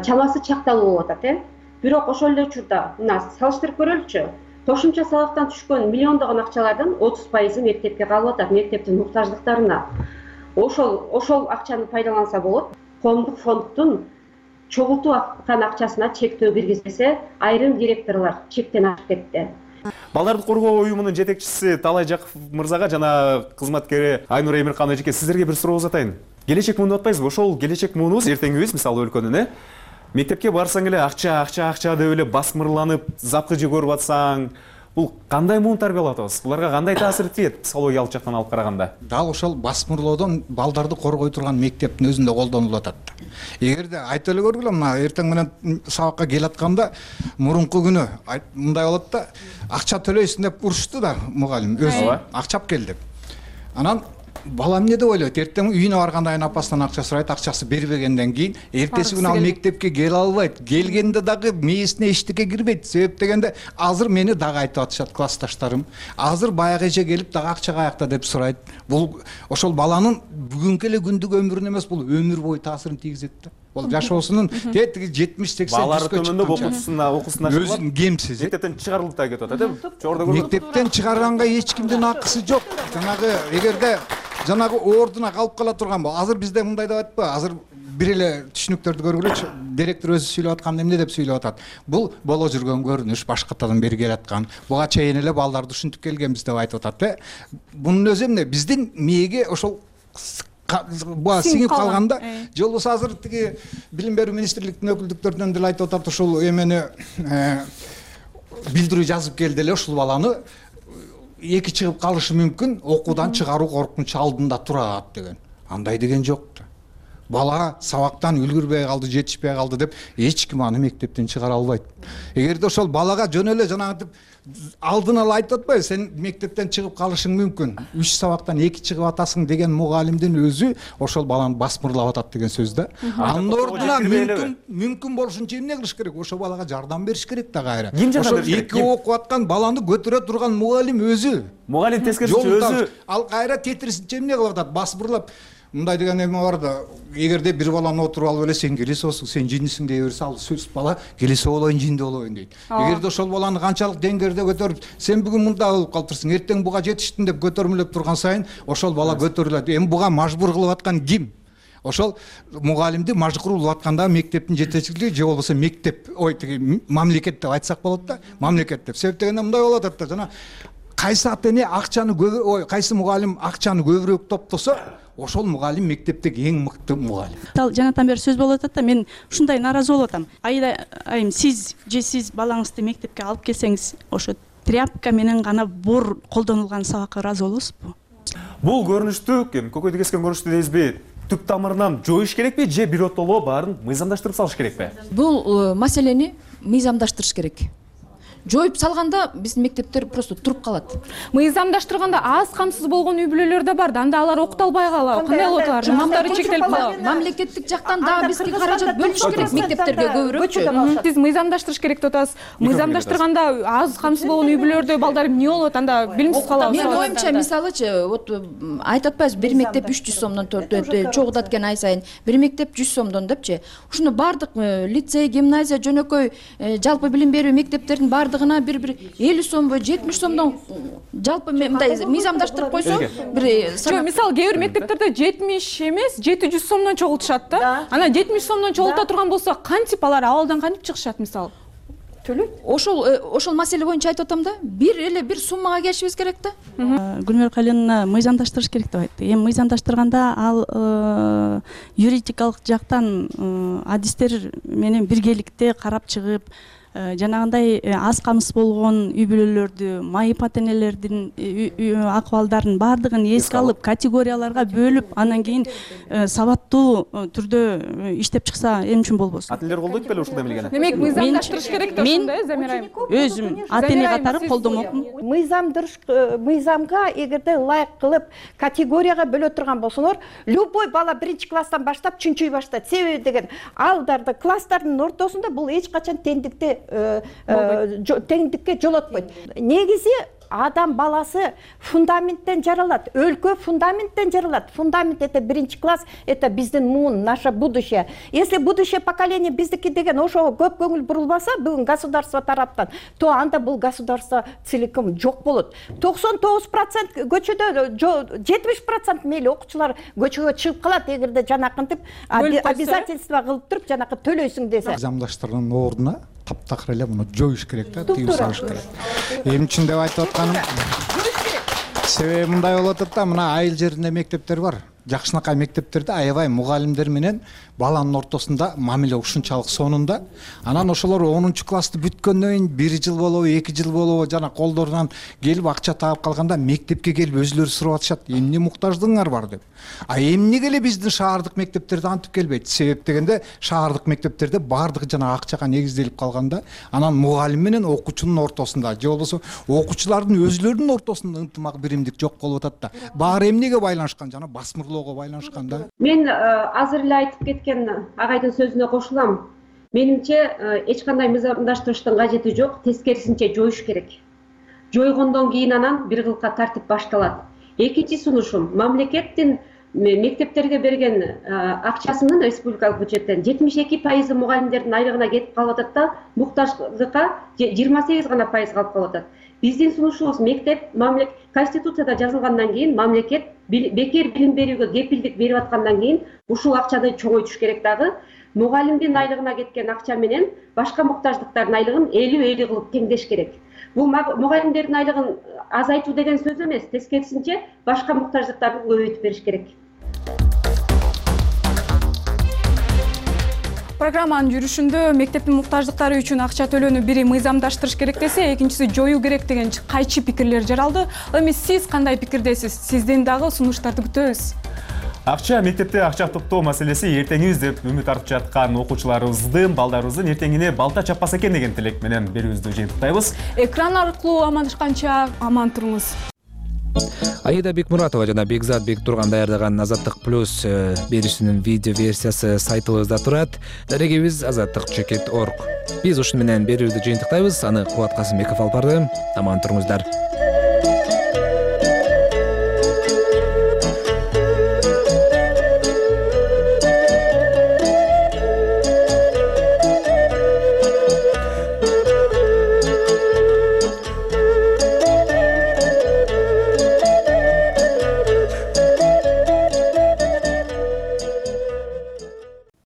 чамасы чакталуу болуп атат, Бирок ошол эле учурда мына салыштырып көрөлүчү. Кошумча салыктан түшкөн миллиондогон акчалардын 30% мектепке калып атат, мектептин муктаждыктарына. Ошол акчаны пайдаланса болот. Коомдук фонддун чогултуп аткан акчасына чектөө киргизбесе, айрым директорлор чектен ашып кетти. Балдарды коргоо уюмунун жетекчиси Талай Жаков мырзага жана кызматкери Айнур Эмиркан эжеке, сиздерге бир суроо узатайын. Келечек муун атпайсызбы? Ошол келечек муунубуз, эртеңгибиз, мисалы өлкөнүн, мектепке барсаң эле акча деп эле басмырланып, запкыжы көрүп атсаң, бул кандай муун тарбиялап атабыз? Буларга кандай таасир этет психологиялык жактан алып караганда? Дал ошол басмырлоодон балдарды коргой турган мектептин өзүндө колдонулуп атат. Эгерде айтып эле көргүлө, мына эртең менен сабакка келатканда мурунку күнү мындай болот да, акча төлөйсүң деп урушты да мугалим өзү акчап кел деп. Анан бала эмне деп ойлойт, эртең үйүнө барганда апасынан акча сурайт, акчасы бербегенден кийин эртеси күнү ал мектепке келе албайт, келгенде дагы мээсине эчтеке кирбейт. Себеп дегенде азыр мени дагы айтып атышат классташтарым, азыр баягы эже келип дагы акча каякта деп сурайт. Бул ошол баланын бүгүнкү эле күндүк өмүрүнө эмес, бул өмүр бою таасирин тийгизет да. Бул жашоосунун тиги 70-80 балалары төмөндөп окуусуна өзүн кемсиз. Мектептен чыгарылып да кетип атат, э? Мектептен чыгарганга эч кимдин акысы жок. Жанагы эгерде жанагы ордуна калып кала турган болсо, азыр бизде мындай деп атпайбы? Азыр бир эле түшүнүктөрдү көргүлөчү, директор өзү сүйлөп атканда эмне деп сүйлөп атат? Бул боло жүргөн көрүнүш, башкатадан бери келаткан. Буга чейин эле балдарды ушинтип келгенбиз деп айтып атат, э? Бунун өзү эмне? Биздин мээге ошол буга сиңип калганда, же болбосо азыр тиги билим берүү министрликтин өкүлдүктөрүнөн деле айтып атат, ушул эмени билдирүү жазып келди эле, ушул баланы эки чыгып калышы мүмкүн, окуудан чыгаруу коркунучу алдында турат деген. Андай деген жок да. Бала сабактан үлгүрбөй калды, жетишпей калды деп эч ким аны мектептен чыгара албайт. Эгерде ошол балага жөн эле жанагынтип алдын ала айтып атпайбы, сен мектептен чыгып калышың мүмкүн, 3 сабактан 2 чыгып атасың деген мугалимдин өзү ошол баланы басмырлап атат деген сөз да. Анын ордуна мүмкүн болушунча эмне кылыш керек? Ошол балага жардам бериш керек да кайра. Ошол 2 окуп аткан баланы көтөрө турган мугалим өзү. Мугалим тескерисинче өзү ал кайра тетирисинче эмне кылып атат? Басмырлап мындай деген эме бар да, эгерде бир баланы отуруп алып эле сен келесиңсиң, сен жиндисиң дей берсе, ал сөз бала келесе болоюн, жинди болоюн дейт. Эгерде ошол баланы канчалык деңгээлде көтөрүп, сен бүгүн мында болуп калыптырсың, эртең буга жетиштин деп көтөрмөлөп турган сайын ошол бала көтөрүлөт. Эми буга мажбур кылып аткан ким? Ошол мугалимди мажбур кылып атканда мектептин жетекчилиги же болбосо мектеп, тиги мамлекет деп айтсак болот да, мамлекет деп. Себеп дегенде мындай болуп атат да, жана кайсы ата-эне акчаны кайсы мугалим акчаны көбүрөөк топтосо, ошол мугалим мектептеги эң мыкты мугалим. Жанатан бери сөз болуп атат да, мен ушундай нааразы болуп атам. Айым сиз же сиз балаңызды мектепке алып келсеңиз, ошо тряпка менен гана бор колдонулган сабакка ыраазы болосузбу? Бул көрүнүштү, көкөйдү кескен көрүнүштү дейсизби? Түп тамырынан жоюш керекпи же биротоло баарын мыйзамдаштырып салыш керекпи? Бул маселени мыйзамдаштырыш керек. Жоюп салганда биздин мектептер просто туруп калат. Мыйзамдаштырганда аз камсыз болгон үй бүлөлөр да бар да, анда алар окута албай калат. Кандай болот алар? Жамандары чектелип калат. Мамлекеттик жактан дагы бизге каражат бөлүш керек мектептерге көбүрөөкчү. Сиз мыйзамдаштырыш керек деп атасыз. Мыйзамдаштырганда аз камсыз болгон үй бүлөлөрдө балдар эмне болот? Анда билимсиз калабыз. Менин оюмча, мисалычы, вот айтып атпайбыз, бир мектеп 300 сомдон чогулат экен ай сайын. Бир мектеп 100 сомдон депчи. Ушуну бардык лицей, гимназия, жөнөкөй жалпы билим берүү мектептердин бардыгына бир 50 сомбу 70 сомдон жалпы мындай мыйзамдаштырып койсо, бир мисалы кээ бир мектептерде 70 эмес 700 сомдон чогултушат да. Анан 70 сомдон чогулта турган болсо, кантип алар абалдан кантип чыгышат мисалы? Ошол маселе боюнча айтып атам да, бир суммага келишибиз керек да. Гүлнөр Калиновна мыйзамдаштырыш керек деп айтты. Эми мыйзамдаштырганда ал юридикалык жактан адистер менен биргеликте карап чыгып, жанагындай аз камсыз болгон үй бүлөлөрдү, майып ата-энелердин акыбалдарын баардыгын эске алып, категорияларга бөлүп, анан кийин сабаттуу түрдө иштеп чыкса эмне үчүн болбосун? Ата-энелер колдойт беле ушундай эмнени? Демек мыйзамдаштырыш керек да ушундай, Замира айым. Өзүм ата-эне катары колдомокмун. Мыйзамга эгерде ылайык кылып категорияга бөлө турган болсоңор, любой бала 1-класстан баштап чүнчөй баштайт. Себеби деген алдарды класстардын ортосунда бул эч качан теңдикке жолотпойт. Негизи адам баласы фундаменттен жаралат, өлкө фундаменттен жаралат. Фундамент это 1-класс, это биздин муун, наше будущее. Если будущее поколение биздики деген ошого көп көңүл бурулбаса, бүгүн государство тараптан, то анда бул государство целиком жок болот. 99% көчөдө, 70% мейли окуучулар көчөгө чыгып калат, эгерде жанакынтип обязательство кылып туруп, жанакы төлөйсүң десе. Мыйзамдаштырган ордуна таптакыр эле муну жоюш керек да, тыюу салыш керек. Эмне үчүн деп айтып атканым, себеби мындай болуп атат да, мына айыл жеринде мектептер бар. жакшынакай мектептерде аябай мугалимдер менен баланын ортосунда мамиле ушунчалык сонунда. Анан ошолор 10 классты бүткөндөн кийин 1 жыл болобу, 2 жыл болобу жана колдорунан келип акча таап калганда мектепке келип өзүлөрү сурап атышат, эмне муктаждыгыңар бар деп. А эмнеге эле биздин шаардык мектептерде антип келбейт? Себеп дегенде шаардык мектептерде баардыгы жана акчага негизделип калганда, анан мугалим менен окуучунун ортосунда же болбосо окуучулардын өзүлөрүнүн ортосунда ынтымак биримдик жок болуп атат да. Баары эмнеге байланышкан? Жана басмырлоого байланышкан да. Мен азыр эле айтып кеткен агайдын сөзүнө кошулам. Менимче эч кандай мыйзамдаштырыштын кажети жок, тескерисинче жоюш керек. Жойгондон кийин анан бир кылка тартип башталат. Экинчи сунушум, мамлекеттин мектептерге берген акчасынын республикалык бюджеттен 72% мугалимдердин айлыгына кетип калып атат да, муктаждыкка 28 гана пайыз калып калып атат. Биздин сунушубуз мектеп Конституцияда жазылгандан кийин мамлекет бекер билим берүүгө кепилдик берип аткандан кийин ушул акчаны чоңойтуш керек дагы. Мугалимдин айлыгына кеткен акча менен башка муктаждыктардын айлыгын 50-50 кылып теңдеш керек. Бул мугалимдердин айлыгын азайтуу деген сөз эмес, тескерисинче башка муктаждыктарды көбөйтүп бериш керек. Программанын жүрүшүндө мектептин муктаждыктары үчүн акча төлөөнү бири мыйзамдаштырыш керек десе, экинчиси жоюу керек деген кайчы пикирлер жаралды. Эми сиз кандай пикирдесиз? Сизден дагы сунуштарды күтөбүз. Акча мектепте акча топтоо маселеси эртеңиз деп үмүт артып жаткан окуучуларыбыздын, балдарыбыздын эртеңине балта чаппаса экен деген тилек менен берүүбүздү жыйынтыктайбыз. Экран аркылуу амандашканча аман туруңуз. Аида Бекмуратова жана Бекзат Бектурган даярдаган Азаттык плюс берүүсүнүн видео версиясы сайтыбызда турат. Дарегибиз azattik.org. Биз ушуну менен берүүбүздү жыйынтыктайбыз. Аны Кубат Касымбеков алып барды. Аман туруңуздар.